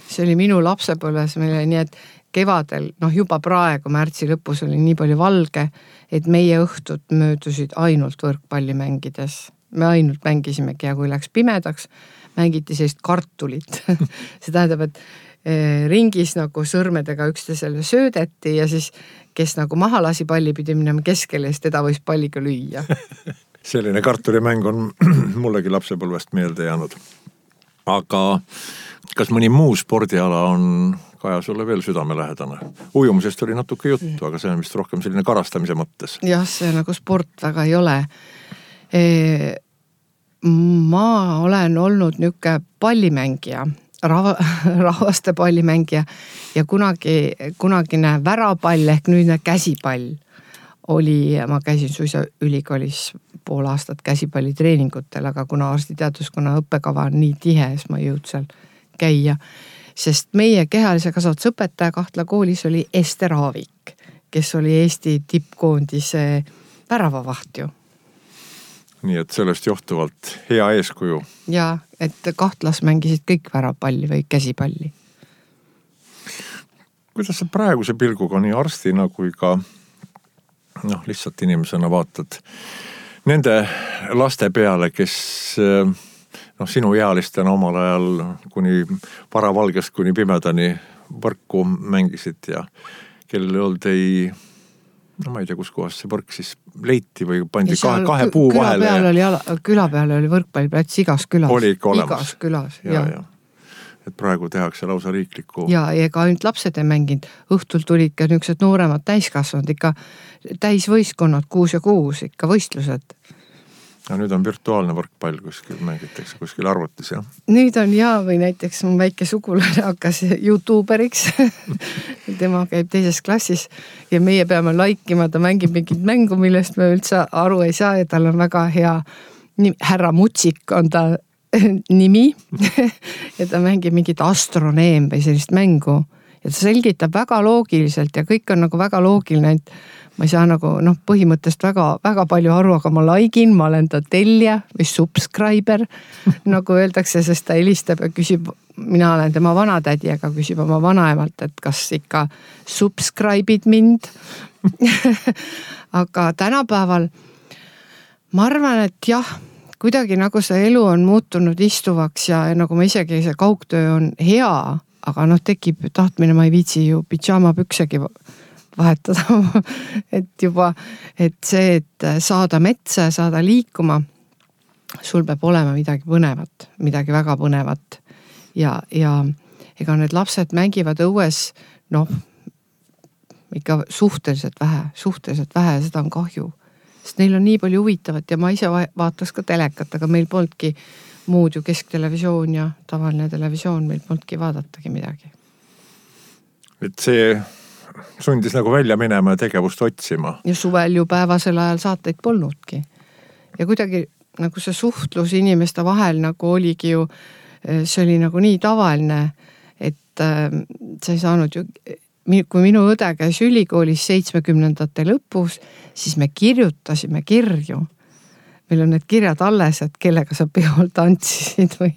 See oli minu lapsepõlves meile nii, et kevadel, noh juba praegu märtsi lõpus oli nii palju valge, et meie õhtud möödusid ainult võrkpalli mängides. Me ainult mängisimegi ja kui läks pimedaks, mängiti sellist kartulit. See tähendab, et ringis nagu sõrmedega üksteisele söödeti ja siis kes nagu maha lasi palli pidi minema keskele, siis teda võis palliga lüüa. Selline kartulimäng on mullegi lapsepõlvest meelde jäänud. Aga kas mõni muu spordiala on Kaja sulle veel südamelähedane? Ujumisest oli natuke juttu, aga see on vist rohkem selline karastamise mõttes. Jah, see nagu sport väga ei ole. E, ma olen olnud niuke pallimängija, rava, rahvaste pallimängija ja kunagi, kunagine värapall ehk nüüdne käsipall oli, ma käisin suisa ülikoolis pool aastat käsipallitreeningutel, aga kuna arstiteaduskonna õppekava on nii tihe, siis ma ei jõud seal käia. Sest meie kehalise kasvatusõpetaja Kahtla koolis oli Ester Aavik, kes oli Eesti tippkoondise väravavaht ju. Nii et sellest johtuvalt hea eeskuju. Ja, et Kahtlas mängisid kõik värapalli või käsipalli. Kuidas sa praeguse pilguga nii arstina kui ka noh, lihtsalt inimesena vaatad nende laste peale, kes noh, sinu ealistena omal ajal kuni varavalgest kuni pimedani võrku mängisid ja kellel ei olnud ei, no ma ei tea, kus kohas see võrk siis leiti või pandi kahe, kahe puu küla vahele. Peal oli ala, küla peal oli võrkpalliplats igas külas. Oli ikka olemas. Igas külas, ja, ja. ja. Et praegu tehakse lausa riikliku. Ja, ja ega ainult lapsed ei mänginud. Õhtul tulid ka niisugused nooremad täiskasvanud, ikka täisvõistkonnad kuus ja kuus, ikka võistlused. Ja nüüd on virtuaalne võrkpall kuskil, mängitakse kuskil arvutis, jah? Nüüd on ja, või näiteks mu väike sugulane hakkas YouTuberiks. Tema käib teises klassis ja meie peame laikima, ta mängib mingit mängu, millest me üldse aru ei saa ja tal on väga hea, härra Mutsik on ta nimi ja ta mängib mingit astroneem või sellist mängu ja ta selgitab väga loogiliselt ja kõik on nagu väga loogiline, et ma ei saa nagu noh, põhimõttest väga, väga palju aru, aga ma laikin, ma olen ta tellija või subscriber, nagu öeldakse, sest ta helistab ja küsib, mina olen tema vanatädi, aga küsib oma vanaemalt, et kas ikka subscribe'id mind. Aga tänapäeval ma arvan, et jah, kuidagi nagu see elu on muutunud istuvaks ja nagu ma isegi see kaugtöö on hea, aga noh, tekib tahtmine, ma ei viitsi ju pidžaama püksegi vahetada, et juba, et see, et saada metsa, saada liikuma, sul peab olema midagi põnevat, midagi väga põnevat ja, ja ega need lapsed mängivad õues, noh, ikka suhteliselt vähe, suhteliselt vähe ja seda on kahju, sest neil on nii palju huvitavat ja ma ise vaataks ka telekat, aga meil polnudki muud ju kesktelevisioon ja tavaline televisioon, meil polnudki vaadatagi midagi. Et see sundis nagu välja minema ja tegevust otsima. Ja suvel ju päevasel ajal saateid polnudki. Ja kuidagi nagu see suhtlus inimeste vahel nagu oligi ju, see oli nagu nii tavaline, et sa ei saanud ju, kui minu õde käis ülikoolis seitsmekümnendate lõpus, siis me kirjutasime kirju. Meil on need kirjad alles, et kellega sa peol tantsisid või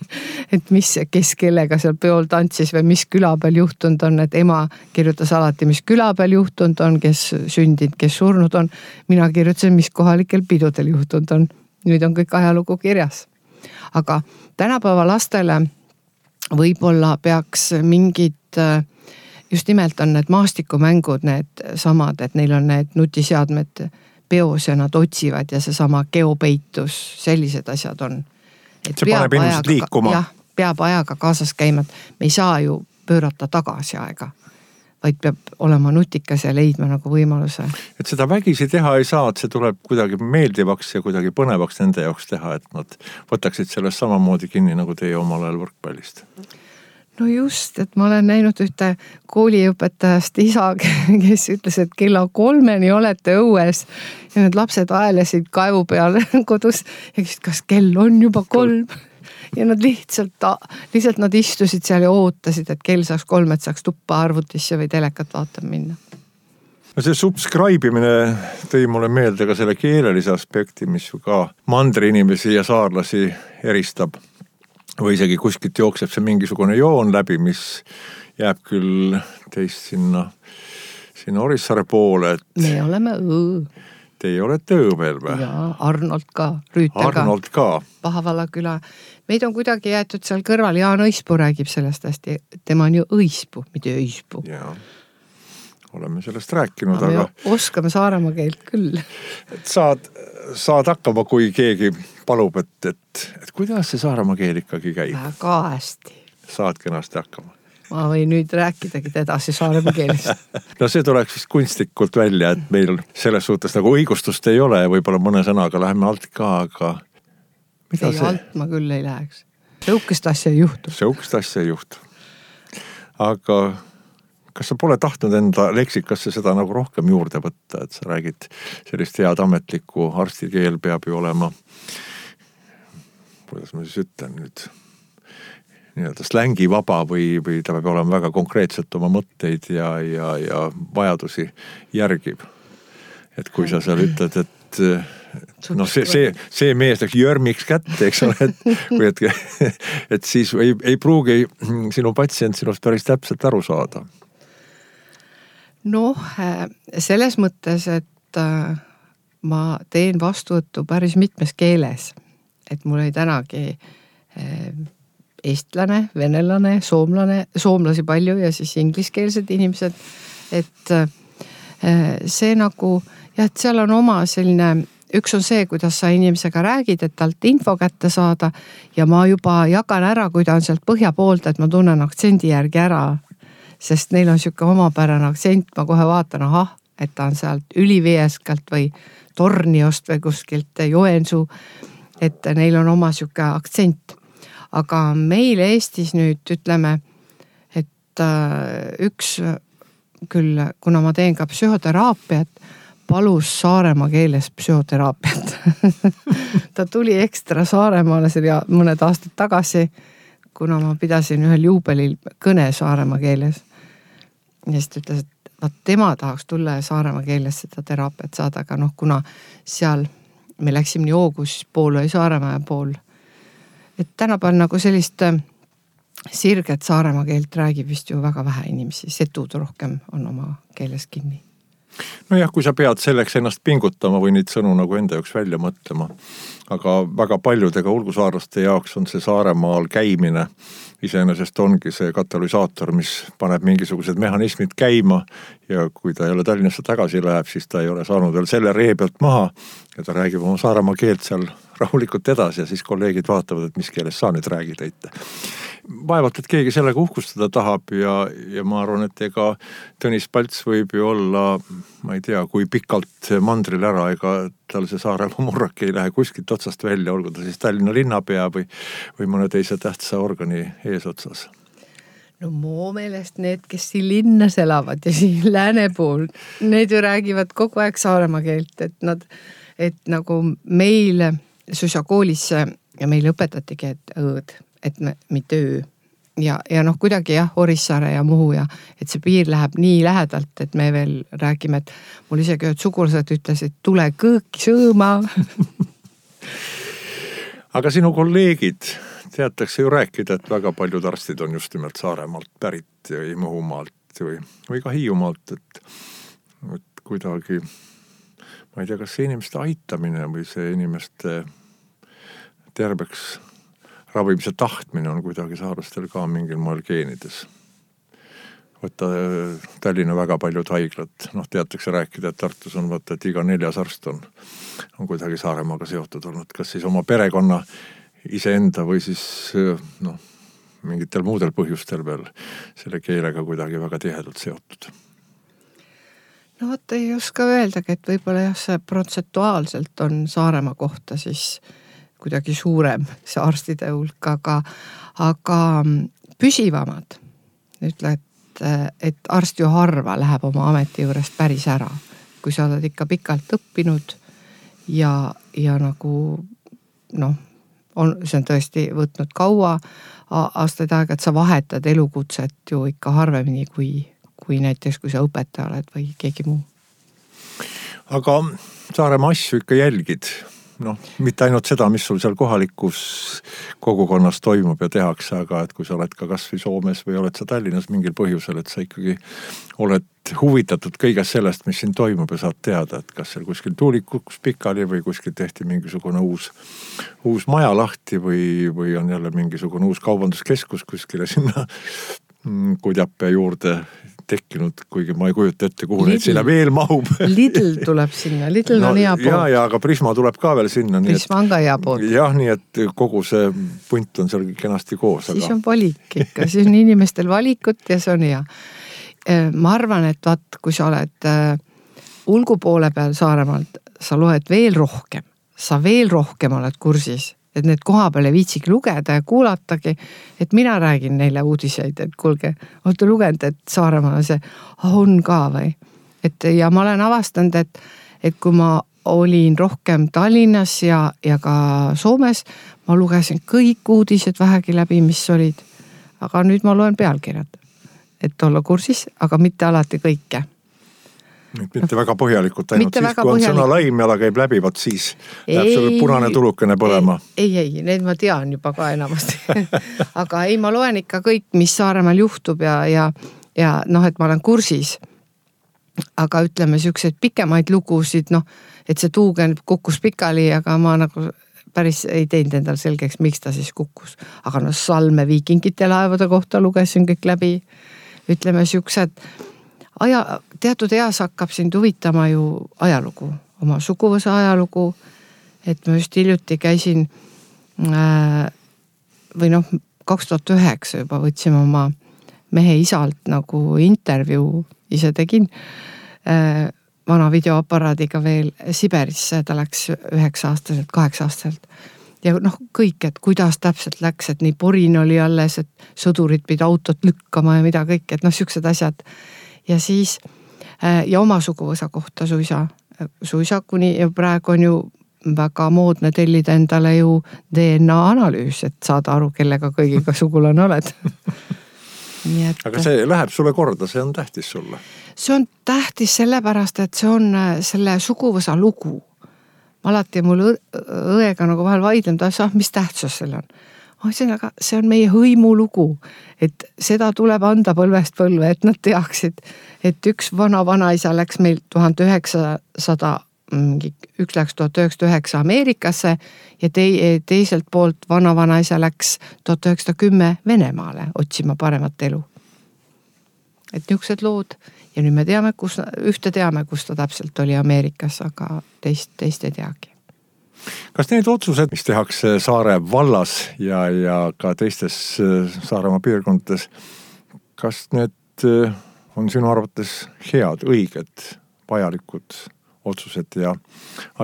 et mis, kes kellega seal peol tantsis või mis küla peal juhtunud on, et ema kirjutas alati, mis küla peal juhtunud on, kes sündinud, kes surnud on. Mina kirjutasin, mis kohalikel pidudel juhtunud on. Nüüd on kõik ajalugu kirjas. Aga tänapäeva lastele võib-olla peaks mingid, just nimelt on need maastikumängud, need samad, et neil on need nutiseadmed peos ja nad otsivad ja see sama geopeitus, sellised asjad on. Et see paneb inimesed liikuma. Jah, peab ajaga kaasas käima, et me ei saa ju pöörata tagasi aega, vaid peab olema nutikas ja leidma nagu võimaluse. Et seda vägisi teha ei saa, et see tuleb kuidagi meeldivaks ja kuidagi põnevaks nende jaoks teha, et nad võtaksid sellest samamoodi kinni nagu teie omal ajal võrkpallist. No just, et ma olen näinud ühte kooliõpetajast isa, kes ütles, et kella kolmeni olete õues ja need lapsed aelesid kaevu peal kodus ja küsid, kas kell on juba kolm ja nad lihtsalt, lihtsalt nad istusid seal ja ootasid, et kell saaks kolm, et saaks tuppa arvutisse või telekat vaatama minna. No see subscribe'imine tõi mulle meelde ka selle keelelise aspekti, mis ju ka mandri inimesi ja saarlasi eristab. Või isegi kuskilt jookseb see mingisugune joon läbi, mis jääb küll teist sinna, sinna Orissaare poole. Et me oleme õõ. Teie olete Õõmel või? Ja Arnold ka, Rüütel ka. Arnold ka. Pahavalla küla. Meid on kuidagi jäetud seal kõrval, Jaan Õispuu räägib sellest hästi. Tema on ju Õispuu, mitte Õispuu. Jaa, oleme sellest rääkinud, aga... aga... oskame Saaremaa keelt küll. Et saad, saad hakkama, kui keegi palub, et, et, et kuidas see Saaremaa keel ikkagi käib? Väga hästi. Saad kenasti hakkama. Ma võin nüüd rääkidagi edasi Saaremaa keelest. No see tuleks vist kunstlikult välja, et meil selles suhtes nagu õigustust ei ole, võib-olla mõne sõnaga läheme alt ka, aga mida ei, see? alt ma küll ei läheks. Sõukest asja ei juhtu. Sõukest asja ei juhtu. Aga kas sa pole tahtnud enda leksikasse seda nagu rohkem juurde võtta, et sa räägid sellist head ametlikku arstikeel peab ju olema, kuidas ma siis ütlen nüüd, nii-öelda slängi vaba või, või ta peab olema väga konkreetselt oma mõtteid ja, ja, ja vajadusi järgib. Et kui sa seal ütled, et noh, see, see, see mees läks jörmiks kätte, eks ole, et, või et, et siis ei, ei pruugi sinu patsient sinust päris täpselt aru saada. Noh, selles mõttes, et ma teen vastuvõttu päris mitmes keeles. Et mul ei tänagi eestlane, venelane, soomlane, soomlasi palju ja siis ingliskeelsed inimesed. Et see nagu, jah, et seal on oma selline, üks on see, kuidas sa inimesega räägid, et talt info kätte saada ja ma juba jagan ära, kui ta on sealt põhja poolt, et ma tunnen aktsendi järgi ära, sest neil on siuke omapärane aktsent, ma kohe vaatan, ahah, et ta on sealt Ülivieskalt või Torniost või kuskilt Joensuu, et neil on oma siuke aktsent. Aga meil Eestis nüüd ütleme, et üks küll, kuna ma teen ka psühhoteraapiat, palus Saaremaa keeles psühhoteraapiat. Ta tuli ekstra Saaremaale mõned aastad tagasi, kuna ma pidasin ühel juubelil kõne Saaremaa keeles. Ja siis ta ütles, et vaat tema tahaks tulla Saaremaa keeles seda teraapiat saada, aga noh, kuna seal me läksime nii Oogus, pool oli Saaremaa ja pool. Et tänapäeval nagu sellist sirget Saaremaa keelt räägib vist ju väga vähe inimesi, setud rohkem on oma keeles kinni. No jah, kui sa pead selleks ennast pingutama või neid sõnu nagu enda jaoks välja mõtlema, aga väga paljudega ulgusaarlaste jaoks on see Saaremaal käimine iseenesest ongi see katalüsaator, mis paneb mingisugused mehhanismid käima ja kui ta jälle Tallinnasse tagasi läheb, siis ta ei ole saanud veel selle ree pealt maha ja ta räägib oma Saaremaa keelt seal rahulikult edasi ja siis kolleegid vaatavad, et mis keeles sa nüüd räägid õite. Vaevalt, et keegi sellega uhkustada tahab ja, ja ma arvan, et ega Tõnis Palts võib ju olla, ma ei tea, kui pikalt mandril ära, ega tal see Saaremaa murrak ei lähe kuskilt otsast välja, olgu ta siis Tallinna linnapea või, või mõne teise tähtsa organi eesotsas. No mu meelest need, kes siin linnas elavad ja siin lääne pool, need ju räägivad kogu aeg Saaremaa keelt, et nad, et nagu meil Susa koolis ja meil õpetatigi, et õõd, et me, mitte öö. Ja, ja noh, kuidagi jah, Orissaare ja Muhu ja et see piir läheb nii lähedalt, et me veel räägime, et mul isegi ühed sugulased ütlesid, tule kõõki sõõma. Aga sinu kolleegid, teatakse ju rääkida, et väga paljud arstid on just nimelt Saaremaalt pärit või Muhumaalt või, või ka Hiiumaalt, et, et kuidagi ma ei tea, kas see inimeste aitamine või see inimeste terveks ravimise tahtmine on kuidagi saarlastel ka mingil moel geenides. Võtta Tallinna väga paljud haiglad, noh teatakse rääkida, et Tartus on võtta, et iga neljas arst on, on kuidagi Saaremaaga seotud olnud, kas siis oma perekonna iseenda või siis noh, mingitel muudel põhjustel veel selle keelega kuidagi väga tihedalt seotud. No vot ei oska öeldagi, et võib-olla jah, see protsentuaalselt on Saaremaa kohta siis kuidagi suurem see arstide hulk, aga, aga püsivamad. Ütle, et, et arst ju harva läheb oma ameti juurest päris ära. Kui sa oled ikka pikalt õppinud ja, ja nagu noh, on, see on tõesti võtnud kaua aastaid aega, et sa vahetad elukutset ju ikka harvemini kui kui näiteks, kui sa õpetaja oled või keegi muu. Aga Saaremaa asju ikka jälgid noh, mitte ainult seda, mis sul seal kohalikus kogukonnas toimub ja tehakse, aga et kui sa oled ka kas või Soomes või oled sa Tallinnas mingil põhjusel, et sa ikkagi oled huvitatud kõigest sellest, mis siin toimub ja saad teada, et kas seal kuskil tuulik kukkus pikali või kuskil tehti mingisugune uus, uus maja lahti või, või on jälle mingisugune uus kaubanduskeskus kuskile sinna Kudjape juurde tekkinud, kuigi ma ei kujuta ette, kuhu neid sinna veel mahub. Lidl tuleb sinna, Lidl no, on hea pool. Ja, ja, aga Prisma tuleb ka veel sinna. Prisma on ka hea pool. Jah, nii et kogu see punt on seal kenasti koos. Siis aga... on valik ikka, siis on inimestel valikut ja see on hea. Ma arvan, et vaat, kui sa oled ulgu poole peal Saaremaalt, sa loed veel rohkem, sa veel rohkem oled kursis, et need koha peale viitsigi lugeda ja kuulatagi, et mina räägin neile uudiseid, et kuulge, olete lugenud, et Saaremaal see on ka või. Et, ja ma olen avastanud, et, et kui ma olin rohkem Tallinnas ja, ja ka Soomes, ma lugesin kõik uudised vähegi läbi, mis olid. Aga nüüd ma loen pealkirjad, et olla kursis, aga mitte alati kõike. Mitte väga põhjalikult, ainult mitte siis, kui on sõna laimjala käib läbi, vaat siis läheb selle punane tulukene põlema. Ei, ei, need ma tean juba ka enamasti. Aga ei, ma loen ikka kõik, mis Saaremaal juhtub ja, ja, ja noh, et ma olen kursis. Aga ütleme siukseid pikemaid lugusid, noh, et see tuugen kukkus pikali, aga ma nagu päris ei teinud endal selgeks, miks ta siis kukkus. Aga no Salme viikingite laevade kohta lugesin kõik läbi. Ütleme siuksed aja, teatud eas hakkab sind huvitama ju ajalugu, oma suguvõsa ajalugu, et ma just hiljuti käisin äh, või noh, kaks tuhat üheksa juba võtsime oma mehe isalt nagu intervjuu, ise tegin äh, vana videoaparaadiga veel Siberisse, ta läks üheksa aastaselt, kaheksa aastaselt. Ja noh, kõik, et kuidas täpselt läks, et nii porin oli alles, et sõdurid pidi autot lükkama ja mida kõik, et noh, siuksed asjad. Ja siis, ja oma suguvõsa kohta suisa, suisa kuni ja praegu on ju väga moodne tellida endale ju D N A analüüs, et saada aru, kellega kõigiga sugulane oled. Nii et... Aga see läheb sulle korda, see on tähtis sulle? See on tähtis sellepärast, et see on selle suguvõsa lugu. Alati mul õega nagu vahel vaidlem, ta ah, mis tähtsus selle on? Aga see on meie hõimu lugu, et seda tuleb anda põlvest põlve, et nad teaksid, et üks vana vanaisa läks meil tuhat üheksasada, üks läks tuhat üheksasada üheksa Ameerikasse ja te, teiselt poolt vana vanaisa läks tuhat üheksasada kümme Venemaale otsima paremat elu. Et niisugused lood ja nüüd me teame, kus, ühte teame, kus ta täpselt oli Ameerikas, aga teist, teist ei teagi. Kas need otsused, mis tehakse Saare vallas ja, ja ka teistes Saaremaa piirkondades, kas need on sinu arvates head, õiged, vajalikud otsused ja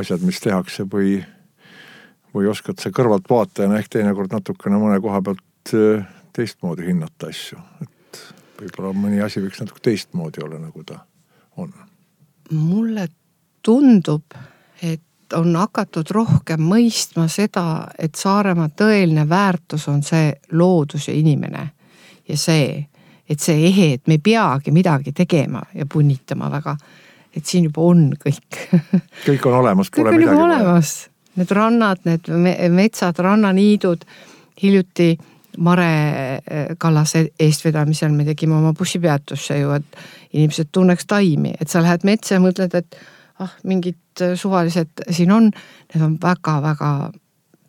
asjad, mis tehakse või, või oskad sa kõrvalt vaatajana ehk teinekord natukene mõne koha pealt teistmoodi hinnata asju? Et võib-olla mõni asi võiks natuke teistmoodi olla, nagu ta on. Mulle tundub, et on hakatud rohkem mõistma seda, et Saaremaa tõeline väärtus on see loodus ja inimene. Ja see, et see ehe, et me ei peagi midagi tegema ja punnitama väga, et siin juba on kõik. Kõik on olemas, pole kõik midagi. Kõik on olemas. Need rannad, need metsad, rannaniidud, hiljuti Mare Kallase eestvedamisel me tegime oma bussipeatusse ju, et inimesed tunneks taimi, et sa lähed metsa ja mõtled, et ah, mingid suvalised siin on, need on väga-väga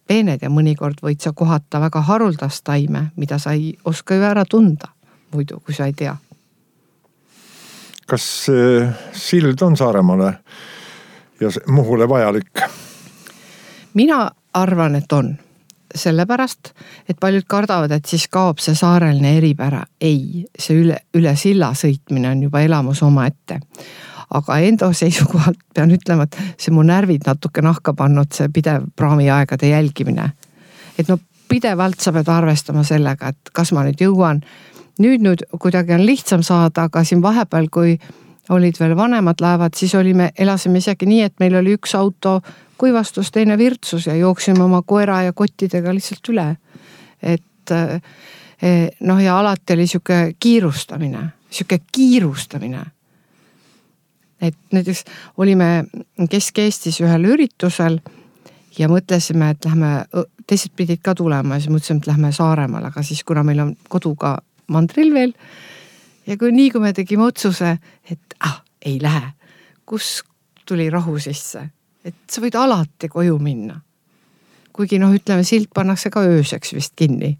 peened ja mõnikord võid sa kohata väga haruldast taime, mida sa ei oska ju ära tunda muidu, kui sa ei tea. Kas sild on Saaremaale ja Muhule vajalik? Mina arvan, et on. Sellepärast, et paljud kardavad, et siis kaob see saareline eripära. Ei, see üle, üle silla sõitmine on juba elamus oma ette. Aga enda seisukohalt pean ütlema, et see mu närvid natuke nahka pannud, see pidev praamiaegade jälgimine. Et no pidevalt sa pead arvestama sellega, et kas ma nüüd jõuan. Nüüd nüüd kuidagi on lihtsam saada, aga siin vahepeal, kui olid veel vanemad laevad, siis olime, elasime isegi nii, et meil oli üks auto kuivastus, teine virtsus ja jooksime oma koera ja kottidega lihtsalt üle. Et noh ja alati oli siuke kiirustamine, siuke kiirustamine. Et näiteks olime Kesk-Eestis ühel üritusel ja mõtlesime, et lähme, teised pidid ka tulema ja siis mõtlesime, et lähme Saaremaale, aga siis kuna meil on kodu ka mandril veel ja kui nii, kui me tegime otsuse, et ah, ei lähe, kus tuli rahu sisse, et sa võid alati koju minna. Kuigi noh, ütleme, silt pannakse ka ööseks vist kinni,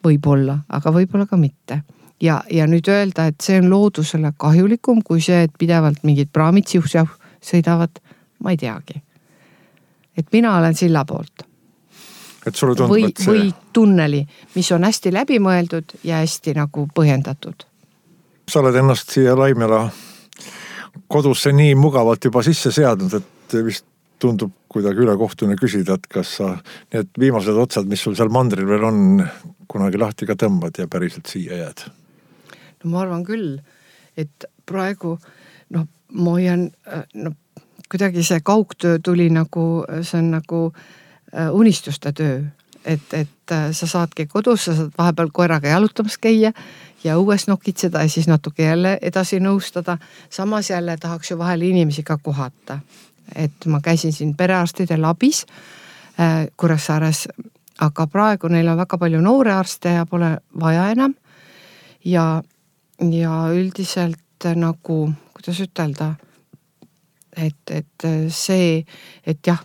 võib-olla, aga võib-olla ka mitte. Ja, ja nüüd öelda, et see on loodusele kahjulikum, kui see, et pidevalt mingid praamid siuh-siuh sõidavad, ma ei teagi. Et mina olen silla poolt. Et sulle tundub, või, et see... või tunneli, mis on hästi läbimõeldud ja hästi nagu põhjendatud. Sa oled ennast siia Laimjala kodusse nii mugavalt juba sisse seadnud, et vist tundub kuidagi ülekohtune küsida, et kas sa need viimased otsad, mis sul seal mandril veel on, kunagi lahti ka tõmbad ja päriselt siia jääd? No ma arvan küll, et praegu noh, ma hoian, no, kuidagi see kaugtöö tuli nagu, see on nagu unistuste töö, et, et sa saadki kodus, sa saad vahepeal koeraga jalutamas käia ja õues nokitseda ja siis natuke jälle edasi nõustada. Samas jälle tahaks ju vahel inimesi ka kohata. Et ma käisin siin perearstide labis äh, Kuressaares, aga praegu neil on väga palju noore arste ja pole vaja enam. Ja, ja üldiselt nagu, kuidas ütelda, et, et see, et jah,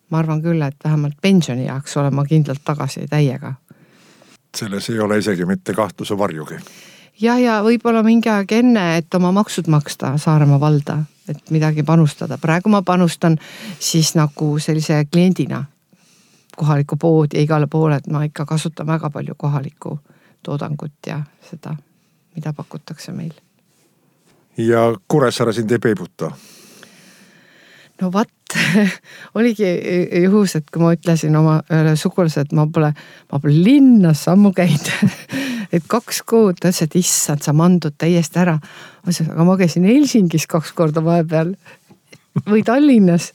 ma arvan küll, et vähemalt pensioni jaoks olen ma kindlalt tagasi täiega. Selles ei ole isegi mitte kahtluse varjugi. Ja, ja võib-olla mingi aeg enne, et oma maksud maksta Saaremaa valda, et midagi panustada. Praegu ma panustan siis nagu sellise kliendina kohaliku pood ja igale poole, et ma ikka kasutan väga palju kohalikku toodangut ja seda, mida pakutakse meil. Ja Kuressaare sind ei peibuta? No vat, oligi juhus, et kui ma ütlesin oma ühele sugulase, et ma pole, ma pole linnas sammu käid, et kaks kuud, tões, et issand, sa mandud täiesti ära. Aga ma käisin Helsingis kaks korda vahepeal või Tallinnas.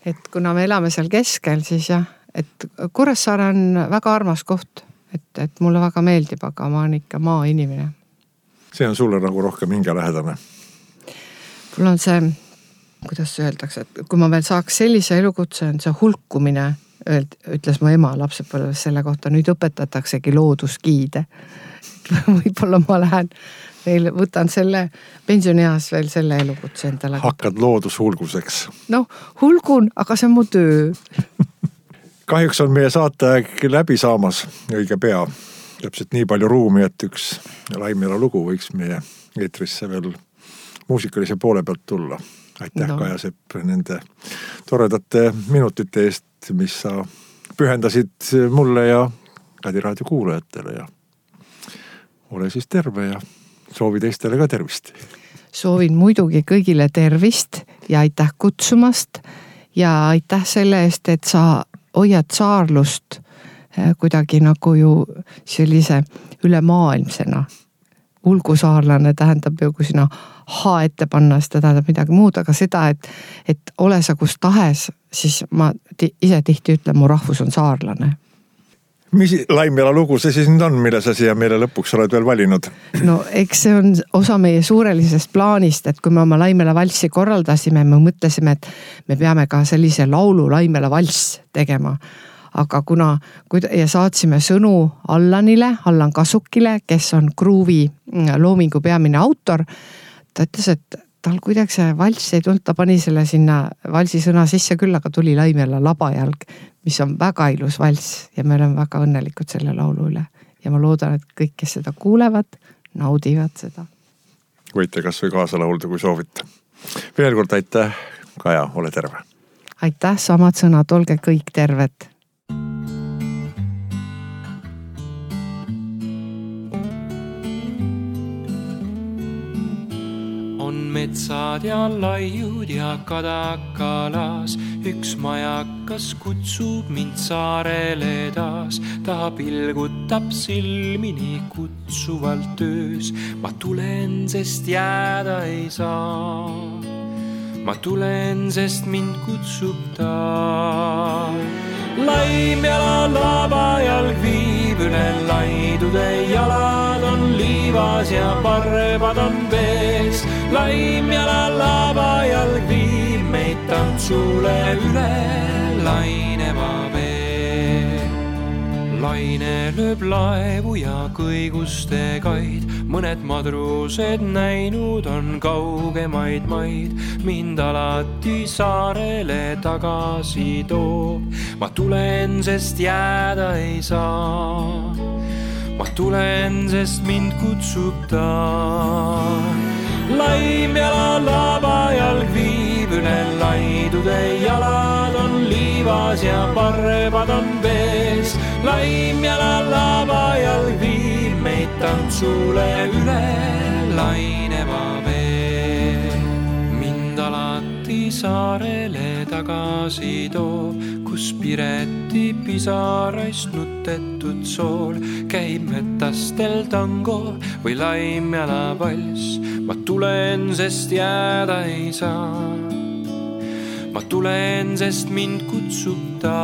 Et kuna me elame seal keskel, siis jah, et Kuressaare on väga armas koht, et, et mulle väga meeldib, aga ma olen ikka maa inimene. See on sulle nagu rohkem hingelähedane. Mul on see, kuidas öeldakse, et kui ma veel saaks sellise elukutse, on see hulkumine, ütles mu ema lapsepõlves selle kohta, nüüd õpetataksegi looduskiide. Võib-olla ma lähen veel, võtan selle pensionieas veel selle elukutse endale. Hakkad loodushulguseks. No, hulgun, aga see on mu töö. Kahjuks on meie saate läbi saamas õige pea. Täpselt nii palju ruumi, et üks Laimjala lugu võiks meie eetrisse veel muusikalise poole pealt tulla. Aitäh no. Kaja Sepp nende toredate minutite eest, mis sa pühendasid mulle ja Kadi raadio kuulajatele ja ole siis terve ja soovi teistele ka tervist. Soovin muidugi kõigile tervist ja aitäh kutsumast ja aitäh selle eest, et sa hoiad saarlust kuidagi nagu ju sellise ülemaailmsena. Ulgusaarlane tähendab ju, kui sina ha ette panna, seda tähendab midagi muud, aga seda, et, et ole sa kus tahes, siis ma t- ise tihti ütlen, mu rahvus on saarlane. Mis Laimjala lugu see siis nüüd on, mille sa siia meile lõpuks oled veel valinud? No eks see on osa meie suurelisest plaanist, et kui me oma Laimjala valssi korraldasime, me mõtlesime, et me peame ka sellise laulu Laimjala valss tegema. Aga kuna ja saatsime sõnu Allanile, Allan Kasukile, kes on Gruuvi loomingu peamine autor, ta ütles, et tal kuidagi see valss ei tulnud, ta pani selle sinna valsi sõna sisse küll, aga tuli Laimjala labajalg, mis on väga ilus valss ja me oleme väga õnnelikud selle laulu üle. Ja ma loodan, et kõik, kes seda kuulevad, naudivad seda. Võite kas või kaasa laulda, kui soovite. Veel kord aitäh, Kaja, ole terve. Aitäh, samad sõnad, olge kõik terved. Metsad ja laiud ja kadakalas, üks majakas kutsub mind saarele taas. Ta pilgutab silmini kutsuvalt töös, ma tulen, sest jääda ei saa. Ma tulen, sest mind kutsub ta. Laimjala labajalg viib üle laidude, jalad on liivas ja parvad on vees. Laimjala labajalg viib meid tantsule üle laineva vee. Laine lööb laevu ja kõiguste kaid, mõned madrused näinud on kaugemaid maid. Mind alati saarele tagasi toob, ma tulen, sest jääda ei saa. Ma tulen, sest mind kutsub ta. Laim jala labajalg viib üle laidude, jalad on liivas ja parrebad on vees. Laim jala labajalg viib meid tantsule üle laineva vee. Mind alati saarele tagasi toob, kus Pireti pisaraist nutetud sool käib metastel tango või laimjala vals. Ma tulen, sest jääda ei saa. Ma tulen, sest mind kutsub ta.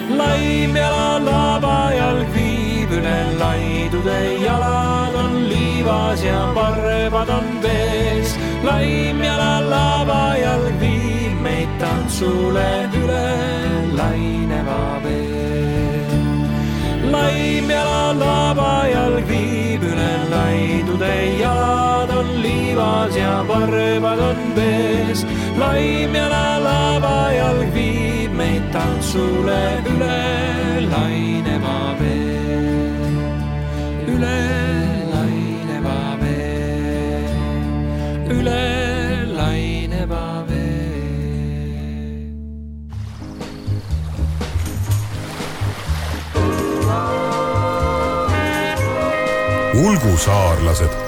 Laimjala labajalg viib üle laidude, jalad on liivas ja parrebad on vees. Laimjala labajalg viib meid tantsule üle laineva vee. Laimjala labajalg viib üle laidude, jalad on liivas ja parrebad on vees. Laimjala labajalg viib meid tantsule üle laineva vee. Üle laineva vee. Üle laineva vee. Ulgusaarlased.